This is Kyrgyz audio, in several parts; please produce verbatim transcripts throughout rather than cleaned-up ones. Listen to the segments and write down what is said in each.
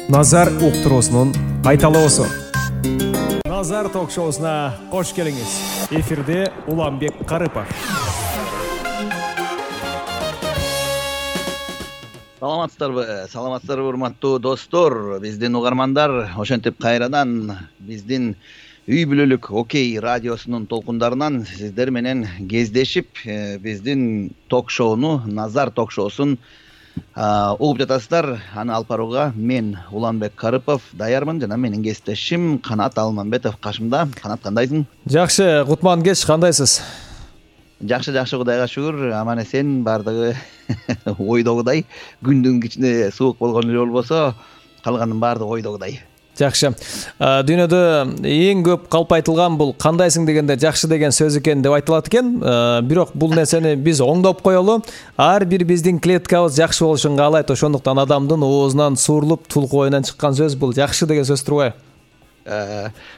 Назар уктуруусунун кайталоосу. Назар ток-шоусуна кош келиңиз. Эфирде Уланбек Карыпов. Саламатсыздарбы? Саламатсыздарбы урматтуу достор? Биздин угармандар ошентип кайрадан биздин үй бүлөлүк Окей радиосунун толкундарынан сиздер менен кездешип, биздин ток-шоуну, Назар ток-шоусун угуп жатасыздар. Аны алып барууга мен Уланбек Карыпов даярмын жана менин кесиптешим Канат Алмамбетов кашымда. Канат, кандайсың? Жакшы, кутман кеч, кандайсыз? Жакшы, жакшы, Кудайга шүгүр. Аман эсен, баардыгы ойдогудай. Күндүн кичине суук болгон эле болбосо, калганын баардыгы ойдогудай. Жакшы. Дүйнөдө эң көп калп айтылган бул кандайсың дегенде жакшы деген сөз экен деп айтылат экен. Бирок бул нерсени биз оңдоп коелу. Ар бир биздин клеткабыз жакшы болушун каалайт. Ошондуктан адамдын оозунан суурулуп, тулку оюнан чыккан сөз бул жакшы деген сөз турбайбы?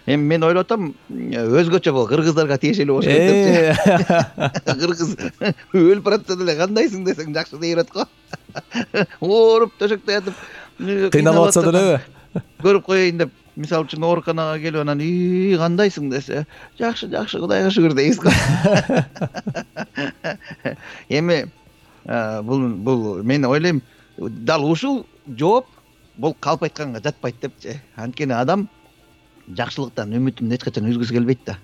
Мен мен ойлоп атам, өзгөчө бул кыргыздарга тиешелүү болуш керек депчи. Кыргыз өлүп баратса деле кандайсың десең жакшы дей берет го. Ооруп төшөктө ятып, кыйналып атса делеби? Көрүп коеюн деп, мисалы үчүн ооруканага келип анан "И, кандайсың?" десе, "Жакшы, жакшы, Кудайга шүгүр" дейбиз го. Эми бул бул мен ойлойм, дал ушул жооп бул калп айтканга жатпайт депчи. Анткени адам жакшылыктан үмүтүн эч качан үзгүсү келбейт да.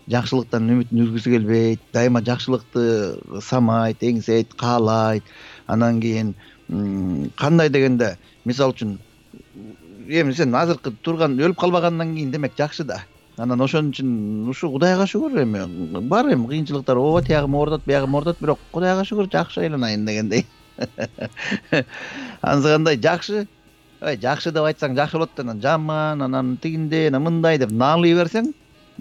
Жакшылыктан үмүтүн үзгүсү келбейт. Дайыма жакшылыкты самайт, эңсейт, каалайт. Анан кийин кандай дегенде, мисалы үчүн эми сен азыркы турган өлүп калбагандан кийин демек жакшы да. Анан ошон үчүн ушу Кудайга шүгүр, эми бар эми кыйынчылыктар, ооба тиягым оорутат, биягым оорутат, бирок Кудайга шүгүр жакшы айланайын дегендей. Анысы жакшы, ой, жакшы деп айтсаң жакшы болот, анан жаман, анан тигиндей, анан мындай деп наалый берсең,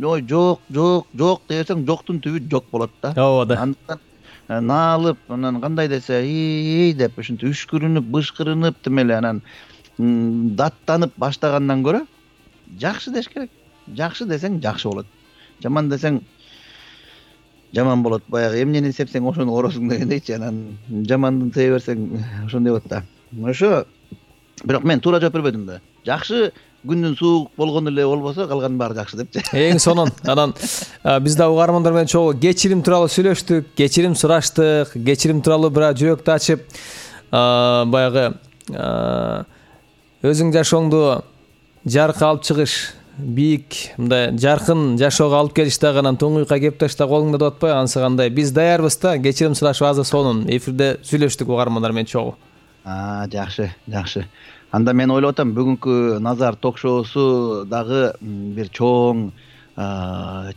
ой, жок, жок, жок деп берсең, жоктун түбү жок болот да. Ооба да. Андыктан наалып, анан кандай десе, ий деп ушинтип үшкүрүнүп, бышкырынып тимеле анан даттанып баштагандан көрө жакшы деш керек. Жакшы десең жакшы болот. Жаман десең жаман болот. Баягы эмнени сепсең ошону оросуң дегендейчи. Анан жамандын себе берсең ошондой болот да. Ошо бирок мен туура жооп бербедим да. Жакшы, күндүн суук болгон эле болбосо калганын баары жакшы депчи. Эң сонун. Анан биз да угармандар менен чогуу кечирим тууралуу сүйлөштүк, кечирим сураштык, кечирим тууралуу бир жүрөктү ачып, баягы өзүң жашооңду жаркка алып чыгыш, бийик, мындай жаркын жашоого алып келиш дагы анан туңуйка кеп ташта колуңда деп атпайбы? Анысы кандай? Биз даярбыз да, кечирим сурашып азыр сонун эфирде сүйлөштүк угармандар менен чогуу. А, жакшы, жакшы. Анда мен ойлоп атам, бүгүнкү Назар ток-шоусу дагы бир чоң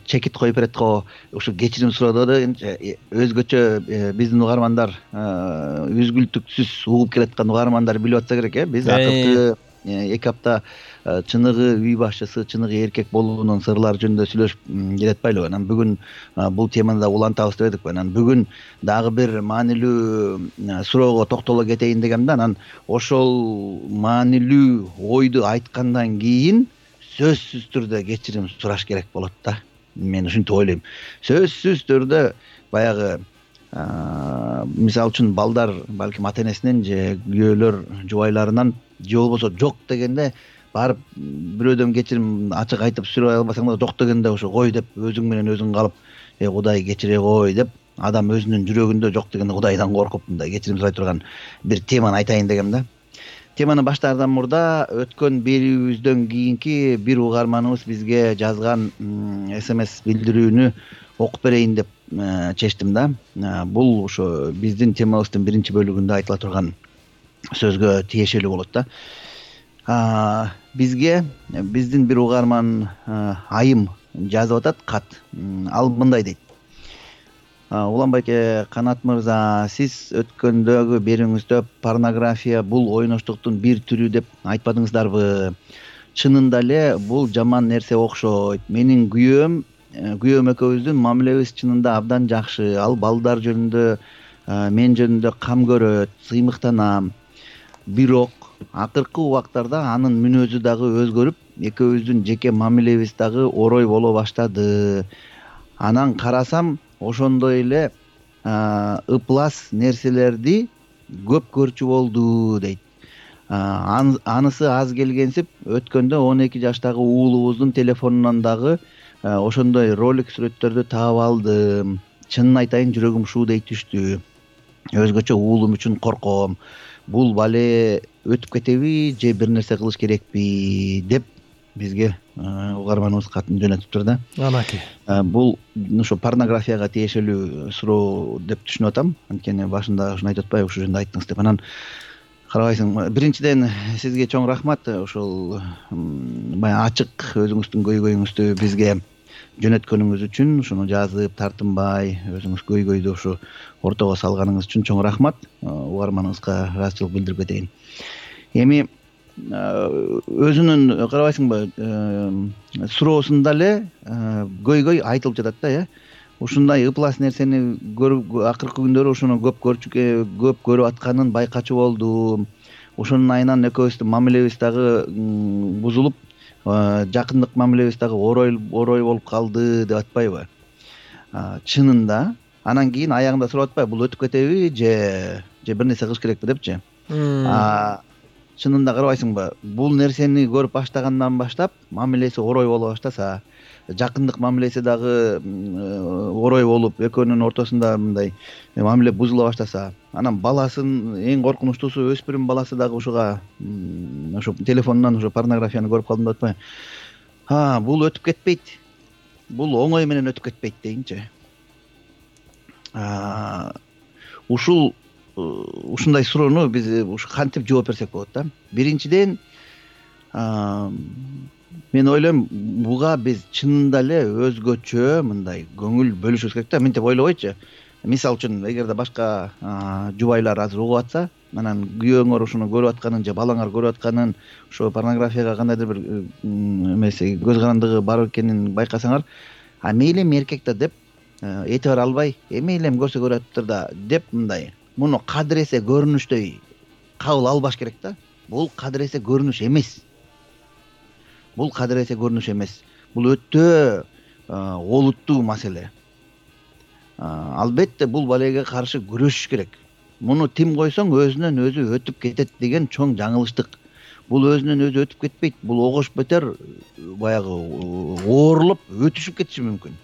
чекит коюп берет го. Ушу кечирим суроодо да өзгөчө биздин угармандар, үзгүлтүксүз угуп келаткан угармандар билип атса керек, э? Биз акыркы эки апта чыныгы үй башчысы, чыныгы эркек болуунун сырлары жөнүндө сүйлөшүп келатпайлыбы? Анан бүгүн бул теманы да улантабыз деп эдик. Анан бүгүн дагы бир маанилүү суроого токтоло кетейин дегем да. Анан ошол маанилүү ойду айткандан кийин сөзсүз түрдө кечирим сураш керек болот да. Мен ушинтип ойлойм. Сөзсүз түрдө баягы мисалы үчүн балдар балким ата энесинен же күйөөлөр жубайларынан же болбосо жок дегенде барып бирөөдөн кечирим ачык айтып сүрөй албасаң да жок дегенде ошо кой деп өзүң менен өзүң калып, "Эй, Кудай кечире кой" деп адам өзүнүн жүрөгүндө жок дегенде Кудайдан коркуп мындай кечирим сурай турган бир теманы айтайын дегем да. Теманы баштаардан мурда өткөн берүүбүздөн кийинки бир угарманыбыз бизге жазган смс билдирүүнү окуп берейин деп чечтим да. Бул ошо биздин темабыздын биринчи бөлүгүндө айтыла турган сөзгө тиешелүү болот да. Бизге биздин бир угарман Айым жазып атат кат. Ал мындай дейт: "Уланбек Канат мырза, сиз өткөндөгү берүүңүздө порнография бул ойноштуктун бир түрү деп айтпадыңыздарбы? Чынында эле бул жаман нерсе окшойт. Менин күйөөм күйөөм экөөбүздүн мамилебиз чынында абдан жакшы. Ал балдар жөнүндө, мен жөнүндө кам көрөт, сыймыктанам. Бирок акыркы убактарда анын мүнөзү дагы өзгөрүп, экөөбүздүн жеке мамилебиз дагы орой боло баштады. Анан карасам, ошондой эле ыплас нерселерди көп көрчү болду" дейт. анысы аз келгенсип өткөндө он эки жаштагы уулубуздун телефонунан дагы ошондой ролик сүрөттөрдү таап алдым. Чынын айтайын, жүрөгүм шуудей түштү. Өзгөчө уулум үчүн корком. Бул бале өтүп кетеби же бир нерсе кылыш керекпи деп бизге угарманыбыз катын жөнөтүптүр да. Анаки. Бул ошо порнографияга тиешелүү суроо деп түшүнүп атам. Анткени башында ушуну айтып атпайбы, ушул жөнүндө айттыңыз деп. Анан карабайсың, биринчиден сизге чоң рахмат, ошол баягы ачык өзүңүздүн көйгөйүңүздү бизге жөнөткөнүңүз үчүн, ушуну жазып, тартынбай өзүңүз көйгөйдү ушу ортого салганыңыз үчүн чоң рахмат. Угарманыңызга ыраазычылык билдирип кетейин. Эми өзүнүн карабайсыңбы суроосунда эле көйгөй айтылып жатат да, э ушундай ыплас нерсени көрүп, акыркы күндөрү ушуну көп көрчү көп көрүп атканын байкачу болдум. Ошонун айынан экөөбүздүн мамилебиз дагы бузулуп, жакындык мамилебиз дагы орой орой болуп калды деп атпайбы? Чынында анан кийин аягында сурап атпайбы, бул өтүп кетеби же же бир нерсе кылыш керекпи депчи. Чынында карабайсыңбы, бул нерсени көрүп баштагандан баштап мамилеси орой боло баштаса, жакындык мамилеси дагы орой болуп, экөөнүн ортосунда мындай мамиле бузула баштаса, анан баласын, эң коркунучтуусу өспүрүм баласы дагы ушуга ошо телефонунан ошо порнографияны көрүп калдым деп атпайбы? А, бул өтүп кетпейт. Бул оңой менен өтүп кетпейт дейинчи. Ушул ушундай суроону биз ушу кантип жооп берсек болот да? Биринчиден, мен ойлойм, буга биз чынында эле өзгөчө мындай көңүл бөлүшүбүз керек да. Мынтип ойлобойчу. Мисалы үчүн, эгерде башка жубайлар азыр угуп атса, анан күйөөңөр ушуну көрүп атканын же балаңар көрүп атканын, ошо порнографияга кандайдыр бир эмеси, көз карандыгы бар экенин байкасаңар, а мейлем эркек да деп этибар албай, э мейлем көрсө көрөттүр да деп мындай муну кадыресе көрүнүшдөй кабыл албаш керек да. Бул кадыресе көрүнүш эмес. Бул кадыресе көрүнүш эмес. Бул өтө олуттуу маселе. Албетте бул балеге каршы күрөшүш керек. Муну тим койсоң өзүнөн өзү өтүп кетет деген чоң жаңылыштык. Бул өзүнөн өзү өтүп кетпейт. Бул огош бетер баягы оорулуп өтүшүп кетиши мүмкүн.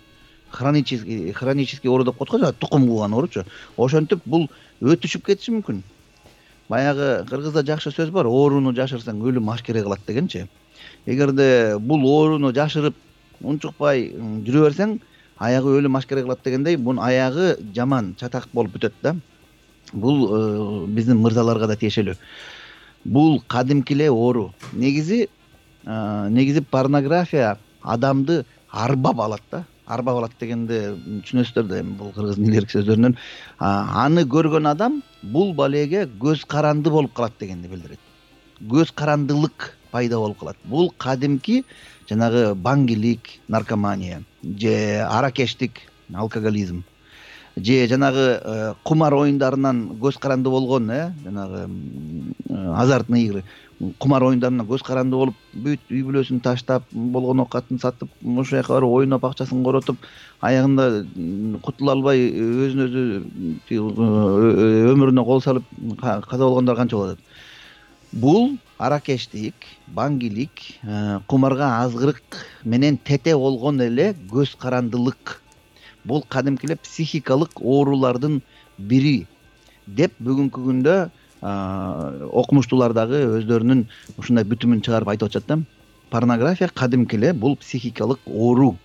Хронический хронический оору деп коет го, тукум кууган ооручу. Ошентип бул өтүшүп кетиши мүмкүн. Баягы кыргызда жакшы сөз бар, ооруну жашырсаң өлүм ашкере кылат дегенчи. Эгерде бул ооруну жашырып унчукпай жүрө берсең, аягы өлүм ашкере кылат дегендей, бунун аягы жаман, чатак болуп бүтөт да. Бул биздин мырзаларга да тиешелүү. Бул кадимки эле оору. Негизи негизи порнография адамды арбап алат да. Арбап алат дегенде түшүнөсүздөр да, эми бул кыргыздын илгерки сөздөрүнөн. Аны көргөн адам бул балеге көз каранды болуп калат дегенди билдирет. Көз карандылык пайда болуп калат. Бул кадимки жанагы баңгилик, наркомания, же аракештик, алкоголизм, же жанагы кумар оюндарынан көз каранды болгон, э, жанагы азартный игры, кумар оюндарынан көз каранды болуп, бүт үй бүлөсүн таштап, болгон оокатын сатып, ошол жака барып оюноп, акчасын коротуп, аягында кутула албай өзүн өзү өмүрүнө кол салып каза болгондор канча болот. Бул аракештик, баңгилик, кумарга азгырык менен тете болгон эле көз карандылык. Бул кадимки эле психикалык оорулардын бири деп бүгүнкү күндө окумуштуулар дагы өздөрүнүн ушундай бүтүмүн чыгарып айтып атышат да. Порнография кадимки эле бул психикалык оору.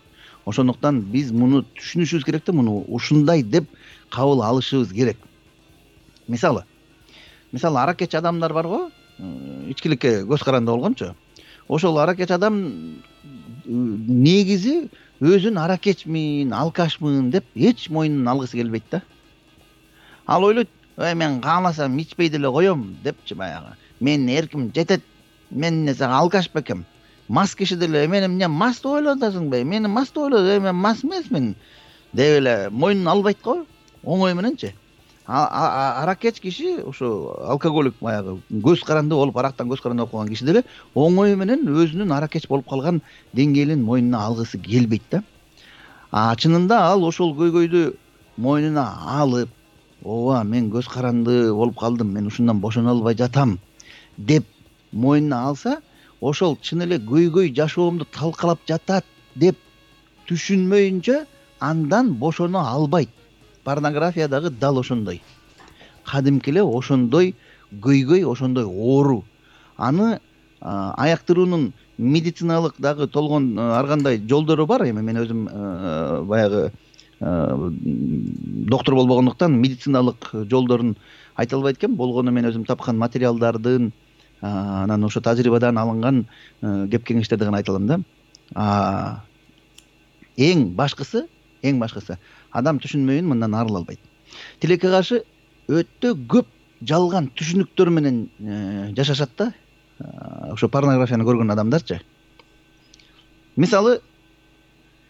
Ошондуктан биз муну түшүнүшүбүз керек да, муну ушундай деп кабыл алышыбыз керек. Мисалы, мисалы аракечи адамдар бар го, ичкиликке көз каранды болгончу. Ошол аракечи адам негизи өзүн аракечмин, алкашмын деп эч мойнун алгысы келбейт да. Ал ойлойт, ой мен кааласам ичпей деле коем депчи баягы. Менин эрким жетет. Мен эмне алкаш бекем. Мас киши деле мени эмне мас деп ойлоп атасыңбы? Мени мас деп ойлоп, мен мас эмесмин деп эле мойнун албайт го, оңой мененчи. Аракеч киши, ошо алкоголик баягы көз каранды болуп, арактан көз каранды болуп калган киши деле оңой менен өзүнүн аракеч болуп калган деңгээлин мойнуна алгысы келбейт да. А чынында ал ошол көйгөйдү мойнуна алып, ооба мен көз каранды болуп калдым, мен ушундан бошоно албай жатам. деп мойнуна алса, ошол чын эле көйгөй жашоомду талкалап жатат деп түшүнмөйүнчө андан бошоно албайт. Порнография дагы дал ошондой. Кадимки эле ошондой көйгөй, ошондой оору. Аны аяктыруунун медициналык дагы толгон ар кандай жолдору бар. Эми мен өзүм баягы доктор болбогондуктан медициналык жолдорун айта албайт экенмин. Болгону мен өзүм тапкан материалдардын, анан ошо тажрыйбадан алынган кеп кеңештерди гана айта алам да. Эң башкысы, эң башкысы адам түшүнмөйүн мындан арыла албайт. Тилекке каршы өтө көп жалган түшүнүктөр менен жашашат да. Ошо порнографияны көргөн адамдарчы. Мисалы,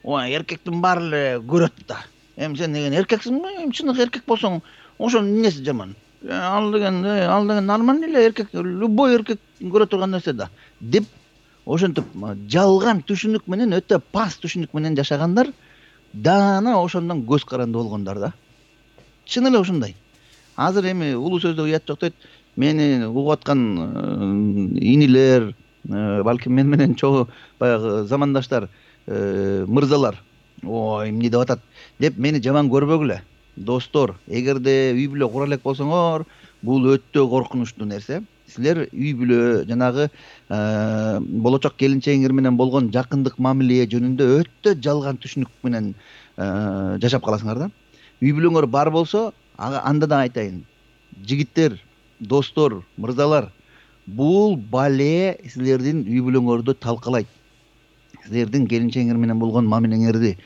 ой, эркектин баары эле көрөт да. Эми сен деген эркексиңби? Эми чыныгы эркек болсоң, ошонун эмнеси жаман? Ал деген, ал деген нормальный эле эркек, любой эркек көрө турган нерсе да. Деп ошентип жалган түшүнүк менен, өтө пас түшүнүк менен жашагандар даана ошондон көз каранды болгондар да. Чын эле ошондой. Азыр эми улуу сөздө уят жок дейт. Мени угуп аткан инилер, балким мен менен чогуу баягы замандаштар, мырзалар, ой, эмне деп атат деп мени жаман көрбөгүлө. Достор, эгерде үй бүлө кура элек болсоңор, бул өтө коркунучтуу нерсе. Силер үй бүлө жанагы болочок келинчегиңер менен болгон жакындык мамиле жөнүндө өтө жалган түшүнүк менен жашап каласыңар да. Үй бүлөңөр бар болсо, анда да айтайын. Жигиттер, достор, мырзалар, бул бале силердин үй бүлөңөрдү талкалайт. Силердин келинчегиңер менен болгон мамилеңерди,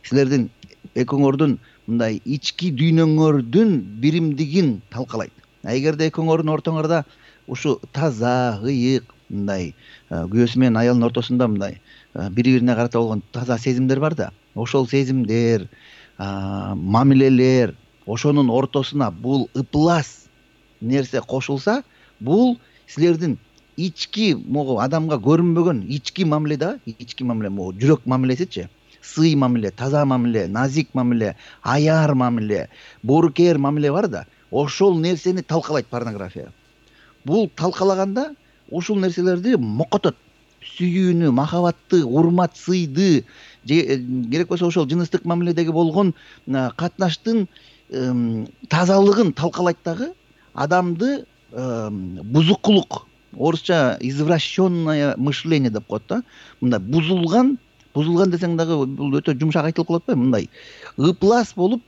силердин экөөңөрдүн мындай ички дүйнөңөрдүн биримдигин талкалайт. Эгерде экөөңөрдүн ортоңордо ушу таза, ыйык, мындай күйөөсү менен аялынын ортосунда мындай бири-бирине карата болгон таза сезимдер бар да. Ошол сезимдер, мамилелер, ошонун ортосуна бул ыплас нерсе кошулса, бул силердин ички могу адамга көрүнбөгөн ички мамиле да, ички мамиле, могу жүрөк мамилесичи, сый мамиле, таза мамиле, назик мамиле, аяр мамиле, боорукер мамиле бар да, ошол нерсени талкалайт порнография. Бул талкалаганда ушул нерселерди мокотот. Сүйүүнү, махабатты, урмат, сыйды, керек болсо ошол жыныстык мамиледеги болгон катнаштын тазалыгын талкалайт дагы, адамды бузукулук, орусча извращенное мышление деп коет да. Мындай бузулган, бузулган десең дагы бул өтө жумшак айтылып калат атпайбы? Мындай ыплас болуп,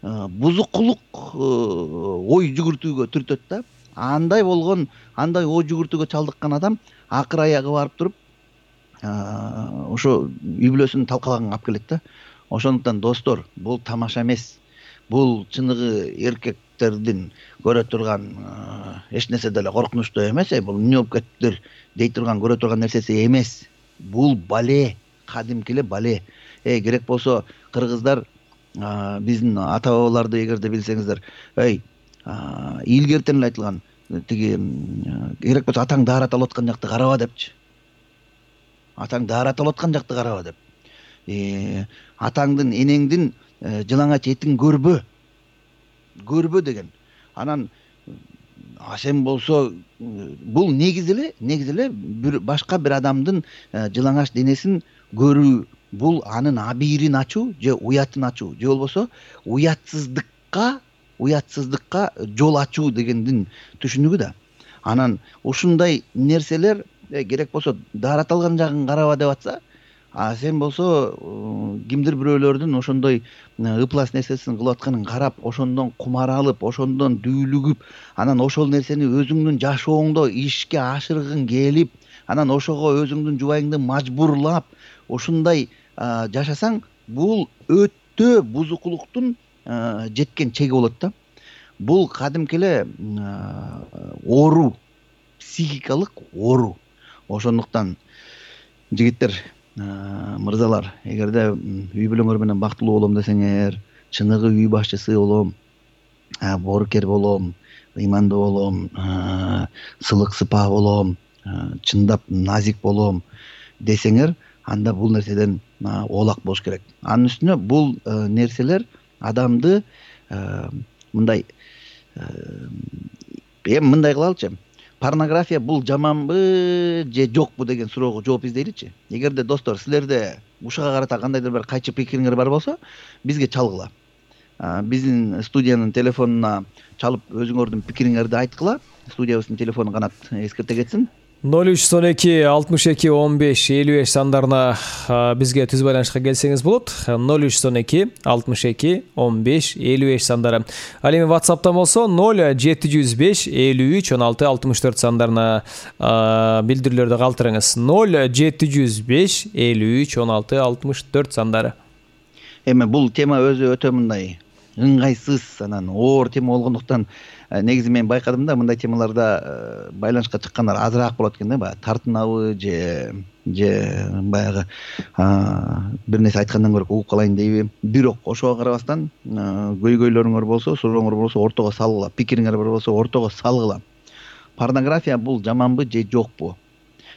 бузукулук ой жүгүртүүгө түртөт да. Андай болгон, андай ой жүгүртүүгө чалдыккан адам акыр аягы барып туруп, ошо үй бүлөсүн талкалаганга алып келет да. Ошондуктан достор, бул тамаша эмес. Бул чыныгы эркектердин көрө турган эч нерсе деле коркунучтуу эмес, бул эмне болуп кеттиптир дей турган, көрө турган нерсеси эмес. Бул бале, кадимки эле бале. Э, керек болсо кыргыздар биздин ата бабаларды эгерде билсеңиздер, эй, илгертен эле айтылган, тиги керек болсо атаң даарат алып аткан жакты караба депчи. Атаң даарат алып аткан жакты караба деп. Э, атаңдын, энеңдин жылаңач этин көрбө. Көрбө деген. Анан а сен болсо бул негизи эле, негизи эле башка бир адамдын жылаңач денесин көрүү, бул анын абийирин ачуу же уятын ачуу, же болбосо уятсыздыкка, уятсыздыкка жол ачуу дегендин түшүнүгү да. Анан ушундай нерселер керек болсо даарат алган жагын караба деп атса, а сен болсо кимдир бирөөлөрдүн ошондой ыплас нерсесин кылып атканын карап, ошондон кумар алып, ошондон дүүлүгүп, анан ошол нерсени өзүңдүн жашооңдо ишке ашыргың келип, анан ошого өзүңдүн жубайыңды мажбурлап, ушундай жашасаң, бул өтө бузукулуктун жеткен чеги болот да. Бул кадимки эле оору, психикалык оору. Ошондуктан жигиттер, мырзалар, эгерде үй бүлөңөр менен бактылуу болом десеңер, чыныгы үй башчысы болом, боорукер болом, ыймандуу болом, сылык сыпаа болом, чындап назик болом десеңер, анда бул нерседен оолак болуш керек. Анын үстүнө бул нерселер адамды мындай эми мындай кылалычы, порнография бул жаманбы же жокпу деген суроого жооп издейличи. Эгерде достор силерде ушуга карата кандайдыр бир кайчы пикириңер бар болсо бизге чалгыла. Биздин студиянын телефонуна чалып өзүңөрдүн пикириңерди айткыла. Студиябыздын телефону канат эскерте кетсин. ноль үч он эки алтымыш эки он беш элүү беш сандарына бизге түз байланышка келсеңиз болот. ноль үч он эки алтымыш эки он беш элүү беш сандары. Ал эми WhatsApp'тан болсо ноль жети жүз беш элүү үч он алты алтымыш төрт сандарына билдирүүлөрдү калтырыңыз. ноль жети жүз беш элүү үч он алты алтымыш төрт сандары. Эми бул тема өзү өтө мындай ыңгайсыз, анан оор тема болгондуктан негизи мен байкадым да, мындай темаларда байланышка чыккандар азыраак болот экен да, баягы тартынабы же же баягы бир нерсе айткандан көрө угуп калайын дейби. Бирок ошого карабастан көйгөйлөрүңөр болсо, сурооңор болсо ортого салгыла, пикириңер бар болсо ортого салгыла. Порнография бул жаманбы же жокпу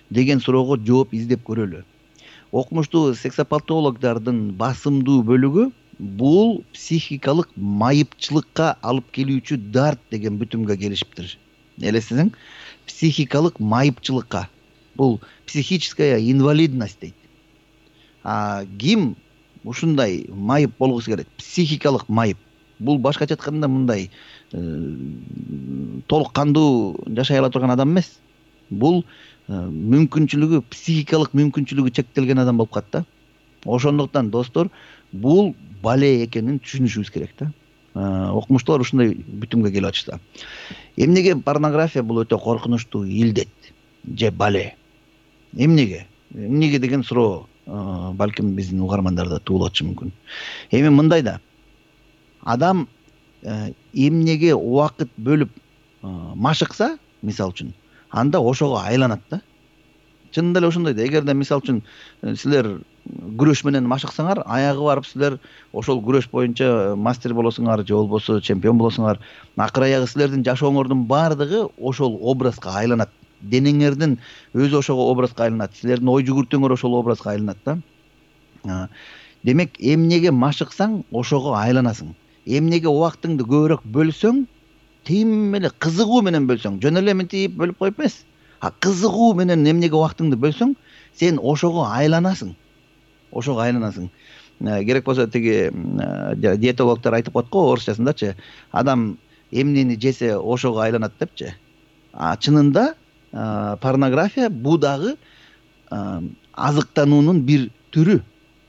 деген суроого жооп издеп көрөлү. Окумуштуу сексопатологдордун басымдуу бөлүгү бул психикалык майыпчылыкка алып келүүчү дарт деген бүтүмгө келишиптир. Элесиңиз, психикалык майыпчылыкка. Бул психическая инвалидность дейт. А ким ушундай майып болгусу келет? Психикалык майып. Бул башкача айтканда мындай толук кандуу жашай ала турган адам эмес. Бул мүмкүнчүлүгү, психикалык мүмкүнчүлүгү чектелген адам болуп калат да. Ошондуктан достор, бул бале экенин түшүнүшүбүз керек да. Окумуштуулар ушундай бүтүмгө келип атышты. Эмнеге порнография бул өтө коркунучтуу илдет же бале? Эмнеге? Эмнеге деген суроо балким биздин угармандарда туулуп атышы мүмкүн. Эми мындай да. Адам эмнеге убакыт бөлүп машыкса, мисалы үчүн, анда ошого айланат да. Чынында эле ошондой да. Эгерде мисалы үчүн силер күрөш менен машыксаңар, аягы барып силер ошол күрөш боюнча мастер болосуңар же болбосо чемпион болосуңар, акыр аягы силердин жашооңордун баардыгы ошол образга айланат. Денеңердин өзү ошого образга айланат. Силердин ой жүгүртүүңөр ошол образга айланат да. Демек, эмнеге машыксаң, ошого айланасың. Эмнеге убактыңды көбүрөөк бөлсөң, тим эле кызыгуу менен бөлсөң, жөн эле мынтип бөлүп коюп эмес. А кызыгуу менен эмнеге убактыңды бөлсөң, сен ошого айланасың. Ошого айланасың. Керек болсо тиги диетологдор айтып коет го орусчасындачы, адам эмнени жесе ошого айланат депчи. А чынында порнография бул дагы азыктануунун бир түрү.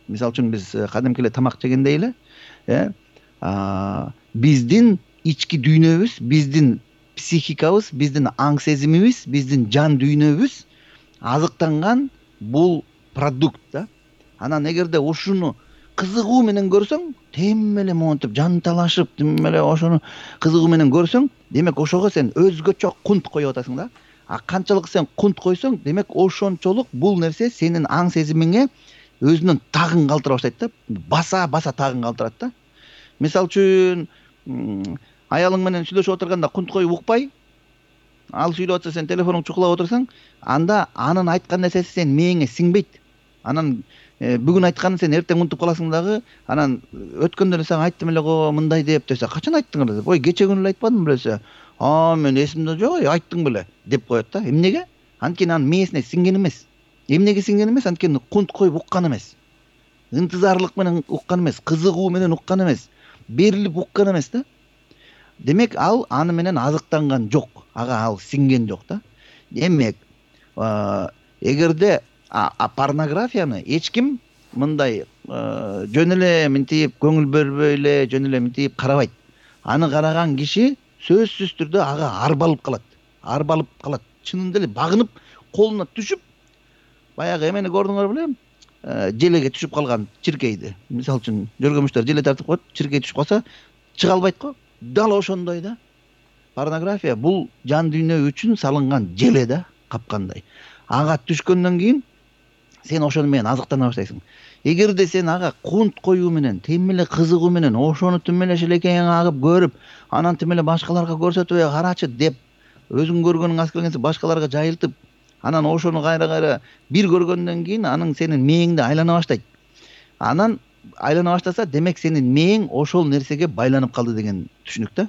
Мисалы үчүн биз кадимки эле тамак жегендей эле, э биздин ички дүйнөбүз, биздин психикабыз, биздин аң сезимибиз, биздин жан дүйнөбүз азыктанган бул продукт да. Анан эгерде ушуну кызыгуу менен көрсөң, тем эле монтип жан талашып, тем эле ошону кызыгуу менен көрсөң, демек ошого сен өзгөчө кунт коюп атасың да. А канчалык сен кунт койсоң, демек ошончолук бул нерсе сенин аң сезимиңе өзүнүн тагын калтыра баштайт да. Баса баса тагын калтырат да. Мисалы үчүн, аялың менен сүйлөшүп отурганда кунт коюп укпай, ал сүйлөп атса сен телефонуңду чукулап отурсаң, анда анын айткан нерсеси сен мээңе сиңбейт. Анан бүгүн айтканын сен эртең унутуп каласың дагы, анан өткөндө эле сага айттым эле го мындай деп десе, качан айттыңар деп, ой кече күнү эле айтпадым беле, а мен эсимде жок, айттың беле деп коет да. Эмнеге? Анткени анын мээсине сиңген эмес. Эмнеге сиңген эмес? Анткени кунт коюп уккан эмес. Интизарлык менен уккан эмес, кызыгуу менен уккан эмес, берилип уккан эмес да. Демек ал аны менен азыктанган жок, ага ал сиңген жок да. Демек, эгерде а порнографияны эч ким мындай жөн эле мынтип көңүл бербей эле, жөн эле мынтип карабайт. Аны караган киши сөзсүз түрдө ага арбалып калат. Арбалып калат. Чынында эле багынып, колуна түшүп, баягы эмени көрдүңөр беле? Желеге түшүп калган чиркейди. Мисалы үчүн, жөргөмүчтөр желе тартып коет, чиркей түшүп калса, чыга албайт го. Дал ошондой да. Порнография бул жан дүйнө үчүн салынган желе да, капкандай. Ага түшкөндөн кийин сен ошону менен азыктана баштайсың. Эгерде сен ага кунт коюу менен, тем эле кызыгуу менен ошону тим эле шелекейиң агып көрүп, анан тим эле башкаларга көрсөтүп, карачы деп, өзүң көргөнүң аз келгенсе башкаларга жайылтып, анан ошону кайра-кайра бир көргөндөн кийин анын сенин мээңде айлана баштайт. Анан айлана баштаса, демек сенин мээң ошол нерсеге байланып калды деген түшүнүк да.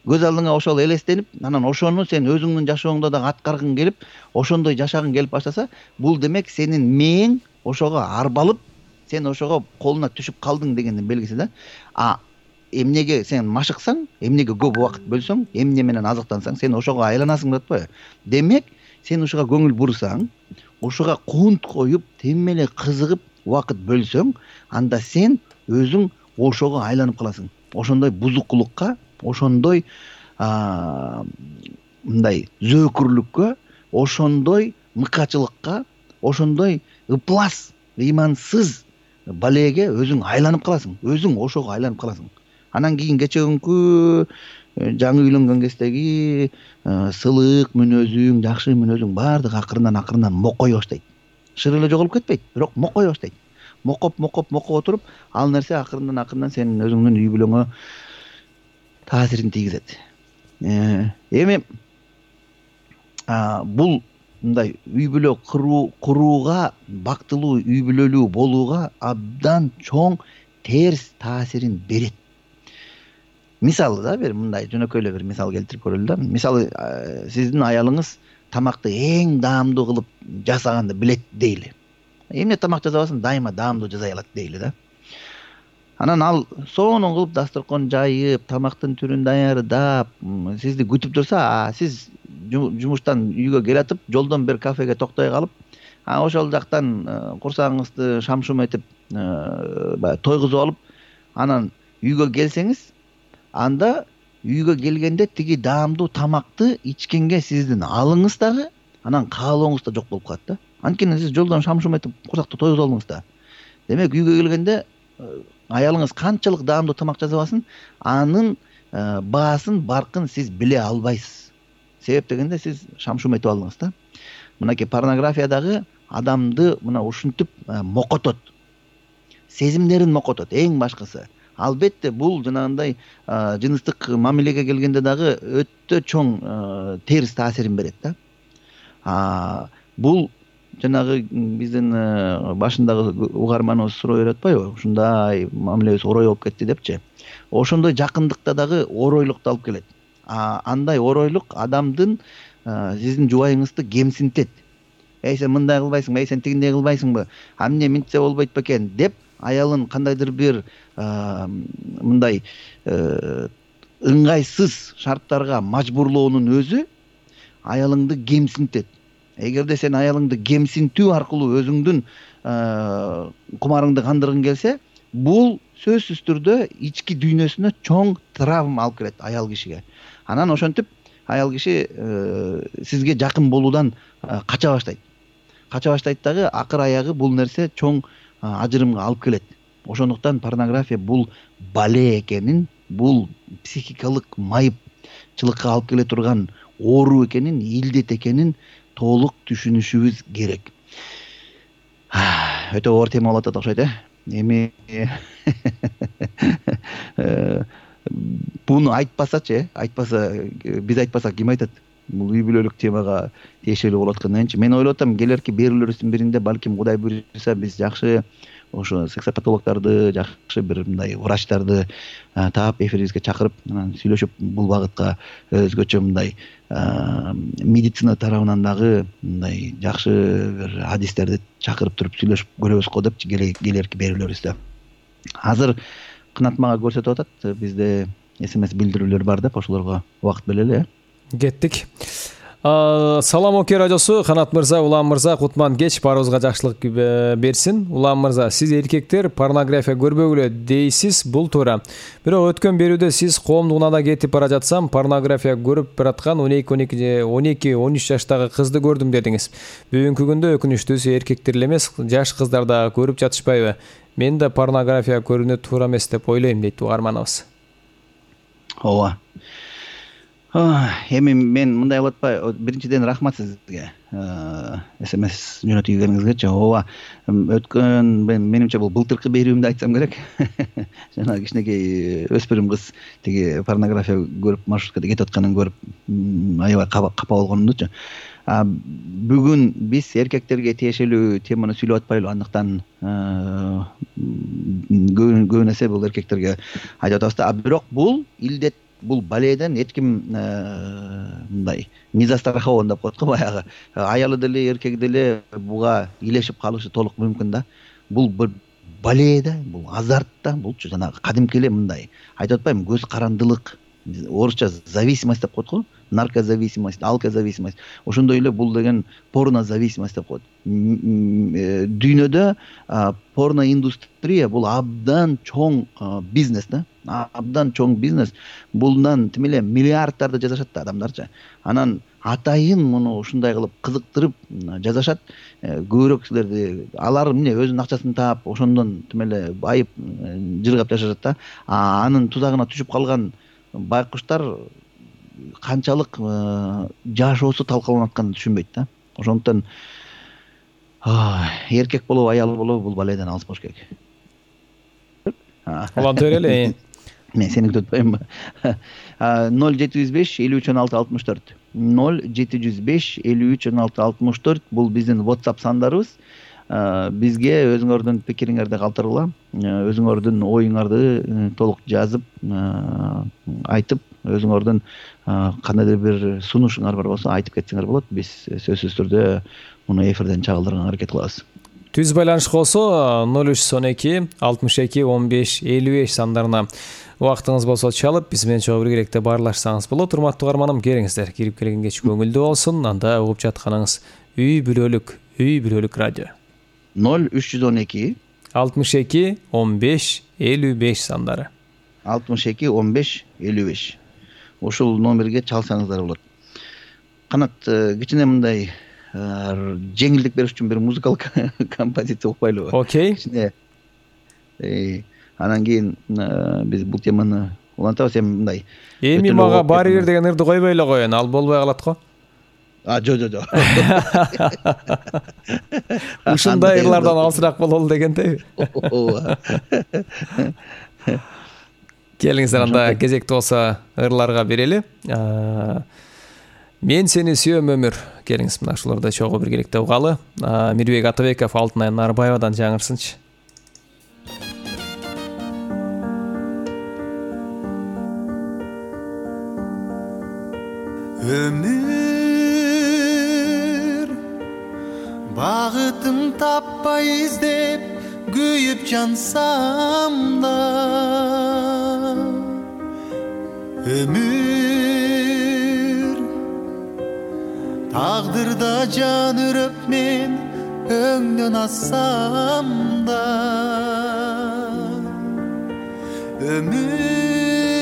көз алдыңа ошол элестенип, анан ошону сен өзүңдүн жашооңдо дагы аткаргың келип, ошондой жашагың келип баштаса, бул демек сенин мээң ошого арбалып, сен ошого колуна түшүп калдың дегендин белгиси да. А эмнеге сен машыксаң, эмнеге көп убакыт бөлсөң, эмне менен азыктансаң, сен ошого айланасың деп атпайбы? Демек, сен ошого көңүл бурсаң, ошого кунт коюп, темеле кызыгып убакыт бөлсөң, анда сен өзүң ошого айланып каласың. Ошондой бузукулукка, ошондой мындай зөөкүрлүккө, ошондой мыкачылыкка, ошондой ыплас, ыймансыз балеге өзүң айланып каласың. Өзүң ошого айланып каласың. Анан кийин кечеүнкү жаңы үйлөнгөн кездеги сылык мүнөзүң, жакшы мүнөзүң баардыгы акырындан акырындан мокой баштайт. Шыр эле жоголуп кетпейт, бирок мокой баштайт. Мокоп, мокоп, мокоп отуруп, ал нерсе акырындан акырындан сенин өзүңдүн үй бүлөңө таасирин тийгизет. Эми бул мындай үй бүлө курууга, бактылуу үй бүлөлүү болууга абдан чоң терс таасирин берет. Мисалы да бир мындай жөнөкөй эле бир мисал келтирип көрөлү да. Мисалы, сиздин аялыңыз тамакты эң даамдуу кылып жасаганды билет дейли. Эмне тамак жасабасын, дайыма даамдуу жасай алат дейли да. Анан ал сонун кылып дасторкон жайып, тамактын түрүн даярдап, сизди күтүп турса, сиз жумуштан үйгө келатып, жолдон бир кафеге токтой калып, ошол жактан курсагыңызды шам-шум этип, баягы тойгузуп алып, анан үйгө келсеңиз, анда үйгө келгенде тиги даамдуу тамакты ичкенге сиздин алыңыз дагы, анан каалооңуз да жок болуп калат да. Анткени сиз жолдон шам-шум этип курсакты тойгузуп алдыңыз да. Демек үйгө келгенде аялыңыз канчалык даамдуу тамак жасабасын, анын баасын, баркын сиз биле албайсыз. Себеп дегенде сиз шам-шум этип алдыңыз да. Мынакей порнографиядагы адамды мына ушинтип мокотот. Сезимдерин мокотот, эң башкысы. Албетте бул жанагындай жыныстык мамилеге келгенде дагы өтө чоң терс таасирин берет да. Бул жанагы биздин башындагы угарманыбыз суроо берип атпайбы? Ушундай мамилебиз орой болуп кетти депчи. Ошондой жакындыкта дагы оройлукту алып келет. Андай оройлук адамдын сиздин жубайыңызды кемсинтет. Эй, сен мындай кылбайсыңбы, эй, сен тигиндей кылбайсыңбы, эмне мынтсе болбойт бекен деп аялын кандайдыр бир мындай ыңгайсыз шарттарга мажбурлоонун өзү аялыңды кемсинтет. Эгерде сен аялыңды кемсинтүү аркылуу өзүңдүн кумарыңды кандыргың келсе, бул сөзсүз түрдө ички дүйнөсүнө чоң травма алып келет аял кишиге. Анан ошентип аял киши сизге жакын болуудан кача баштайт. Кача баштайт дагы акыр аягы бул нерсе чоң ажырымга алып келет. Ошондуктан порнография бул бале экенин, бул психикалык майыпчылыкка алып келе турган оору экенин, илдет экенин толук түшүнүшүбүз керек. Өтө оор тема болуп атат окшойт, э? Эми буну айтпасачы, э, айтпаса, биз айтпасак ким айтат? Бул үй бүлөлүк темага тиешелүү болуп аткандан мен ойлоп атам, келерки берүүлөрүбүздүн биринде балким Кудай буйруса биз жакшы ошо сексопатологдорду, жакшы бир мындай врачтарды таап эфирибизге чакырып, анан сүйлөшүп бул багытка өзгөчө мындай медицина тарабынан дагы мындай жакшы бир адистерди чакырып туруп сүйлөшүп көрөбүз го деп келерки берүүлөрүбүздө. Азыр Кынат мага көрсөтүп атат, бизде смс билдирүүлөр бар деп, ошолорго убакыт берели, э? Кеттик. Салам Оке радиосу, Канат мырза, Улам мырза, кутман кеч, баарыбызга жакшылык берсин. Улам мырза, сиз эркектер порнография көрбөгүлө дейсиз, бул туура. Бирок өткөн берүүдө сиз коомдук унада кетип бара жатсам, порнография көрүп бараткан он эки он үч жаштагы кызды көрдүм дедиңиз. Бүгүнкү күндө өкүнүчтүүсү эркектер эле эмес, жаш кыздар да көрүп жатышпайбы? Мен да порнография көрүүнү туура эмес деп ойлойм, дейт угарманыбыз. Ооба. Эми мен мындай болуп атпайбы? Биринчиден рахмат сизге. смс жөнөтүлгениңизгечи. Ооба. Өткөн менимче бул былтыркы берүүмдү айтсам керек. Жана кичинекей өспүрүм кыз тиги порнография көрүп маршруткада кетип атканын көрүп аябай капа болгонумдучу. Бүгүн биз эркектерге тиешелүү теманы сүйлөп атпайлы, андыктан көбүнесе бул эркектерге айтып атабыз да. Бирок бул илдет бул баледен эч ким мындай не застрахован деп коет го, баягы аялы деле эркеги деле буга илешип калышы толук мүмкүн да. Бул бир бале да, бул азарт да, булчу жанагы кадимки эле мындай айтып атпаймынбы, көз карандылык, орусча зависимость деп коет го, наркозависимость, алкозависимость. Ошондой эле бул деген порнозависимость деп коет. Дүйнөдө порно индустрия бул абдан чоң бизнес да, абдан чоң бизнес. Булдан тим эле миллиардтарды жасашат да адамдарчы. Анан атайын муну ушундай кылып кызыктырып жасашат. Көбүрөөк кишилерди алар эмне өзүнүн акчасын таап, ошондон тим эле байып жыргап жашашат да. А анын тузагына түшүп калган байкуштар канчалык жашоосу талкаланып атканын түшүнбөйт да. Ошондуктан эркек болобу, аял болобу бул баледен алыс болуш керек. Улантыр эле. Мен сени күтүп атпаймынбы? ноль жети жүз беш элүү үч он алты алтымыш төрт ноль жети жүз беш элүү үч он алты алтымыш төрт бул биздин WhatsApp сандарыбыз. Бизге өзүңөрдүн пикириңерди калтыргыла, өзүңөрдүн оюңарды толук жазып айтып, өзүңөрдүн кандайдыр бир сунушуңар бар болсо айтып кетсеңер болот. Биз сөзсүз түрдө муну эфирден чыгарганга аракет кылабыз. Түз байланыш болсо ноль үч он эки алтымыш эки он беш элүү беш сандарына убактыңыз болсо чалып, биз менен чогуу биргеликте баарлашсаңыз болот. Урматтуу угарманым, келиңиздер, кирип келген кеч көңүлдүү болсун. Анда угуп жатканыңыз үй бүлөлүк, үй бүлөлүк радио. ноль үч жүз он эки алтымыш эки он беш элүү беш сандары. алтымыш эки он беш элүү беш. Ушул номерге чалсаңыздар болот. Канат, кичине мындай жеңилдик бериш үчүн бир музыкалык композиция укпайлыбы? Окей. Кичине анан кийин биз бул теманы улантабыз. Эми мындай. Эми мага баары бир деген ырды койбой эле коеюн, ал болбой калат го. А, жо, жо, жо. Ушундай ырлардан алысыраак бололу дегендейби? Келиңиздер, анда кезекти болсо ырларга берели. Мен сени сүйөм өмүр. Келиңиз мына ушуларды чогуу биргеликте угалы. Мирбек Атабеков Алтынай Нарбаевадан жаңырсынчы. Өмүр багытым таппай издеп күйүп жансам да, өмүр тагдырда жан үрөп мен өңдөн ассам да, өмүр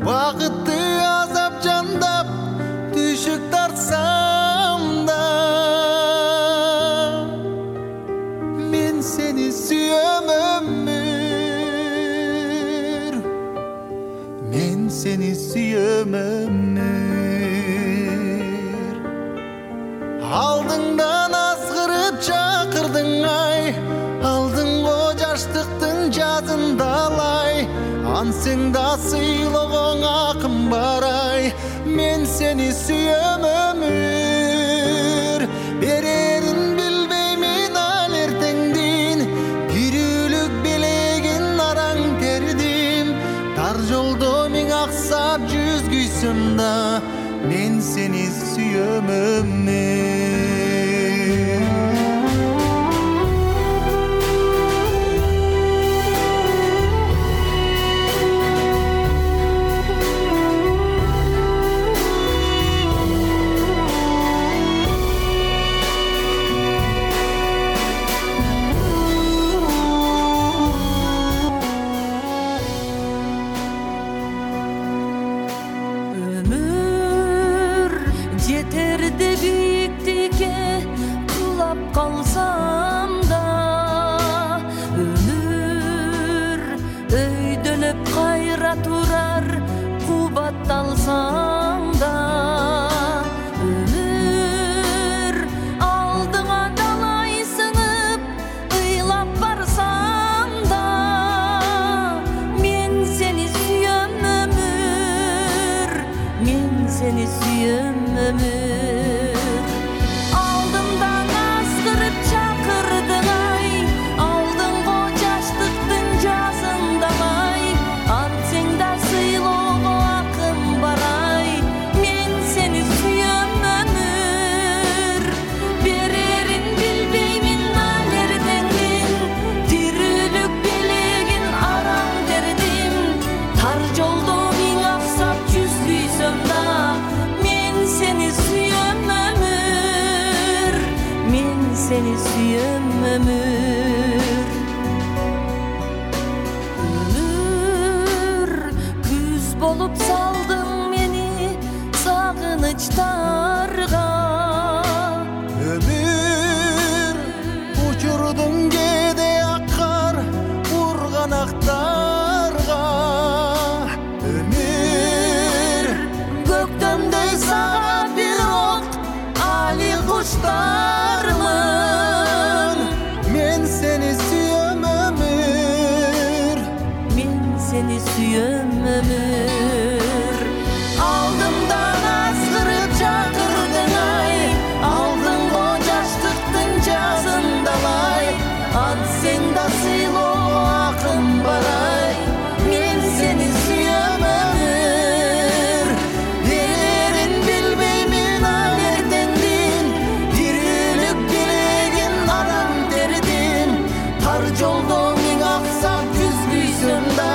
багытты азап жандап түшүк тартсам да, мен сени сүйөм өмүр, мен сени сүйөм өмүр. Алдыңдан азгырып чакырдың ай, алдыңго жаштыктын жазындалай, ансең да сыйлогоң акым барай, мен сени сүйөм өмүр. Берерин билбеймин ал эртеңдин, кирүүлүк белегин араң тердим, тар жолдо миң аксап жүз күйсөм да, мен сени сүйөм өмүр. Ansın seni süyem ömür. Ömür küz bolup saldın beni sağınıçlarga. Ömür uçurdun gede akar urganaktarga. Ömür gökdöndey sağa bir ok ali kuşlarmın. Men seni süyem ömür. Men seni süyem ömür. Aldımdan azgırıp çakırdın ay. Aldın o yaşlıktın cazındalay. An sen da silo akın baray. Men seni süyem ömür. Yerin bilmeymin alertendin. Dirülük dilegin aram derdin. Tar jolda min aksap küzgüysün da.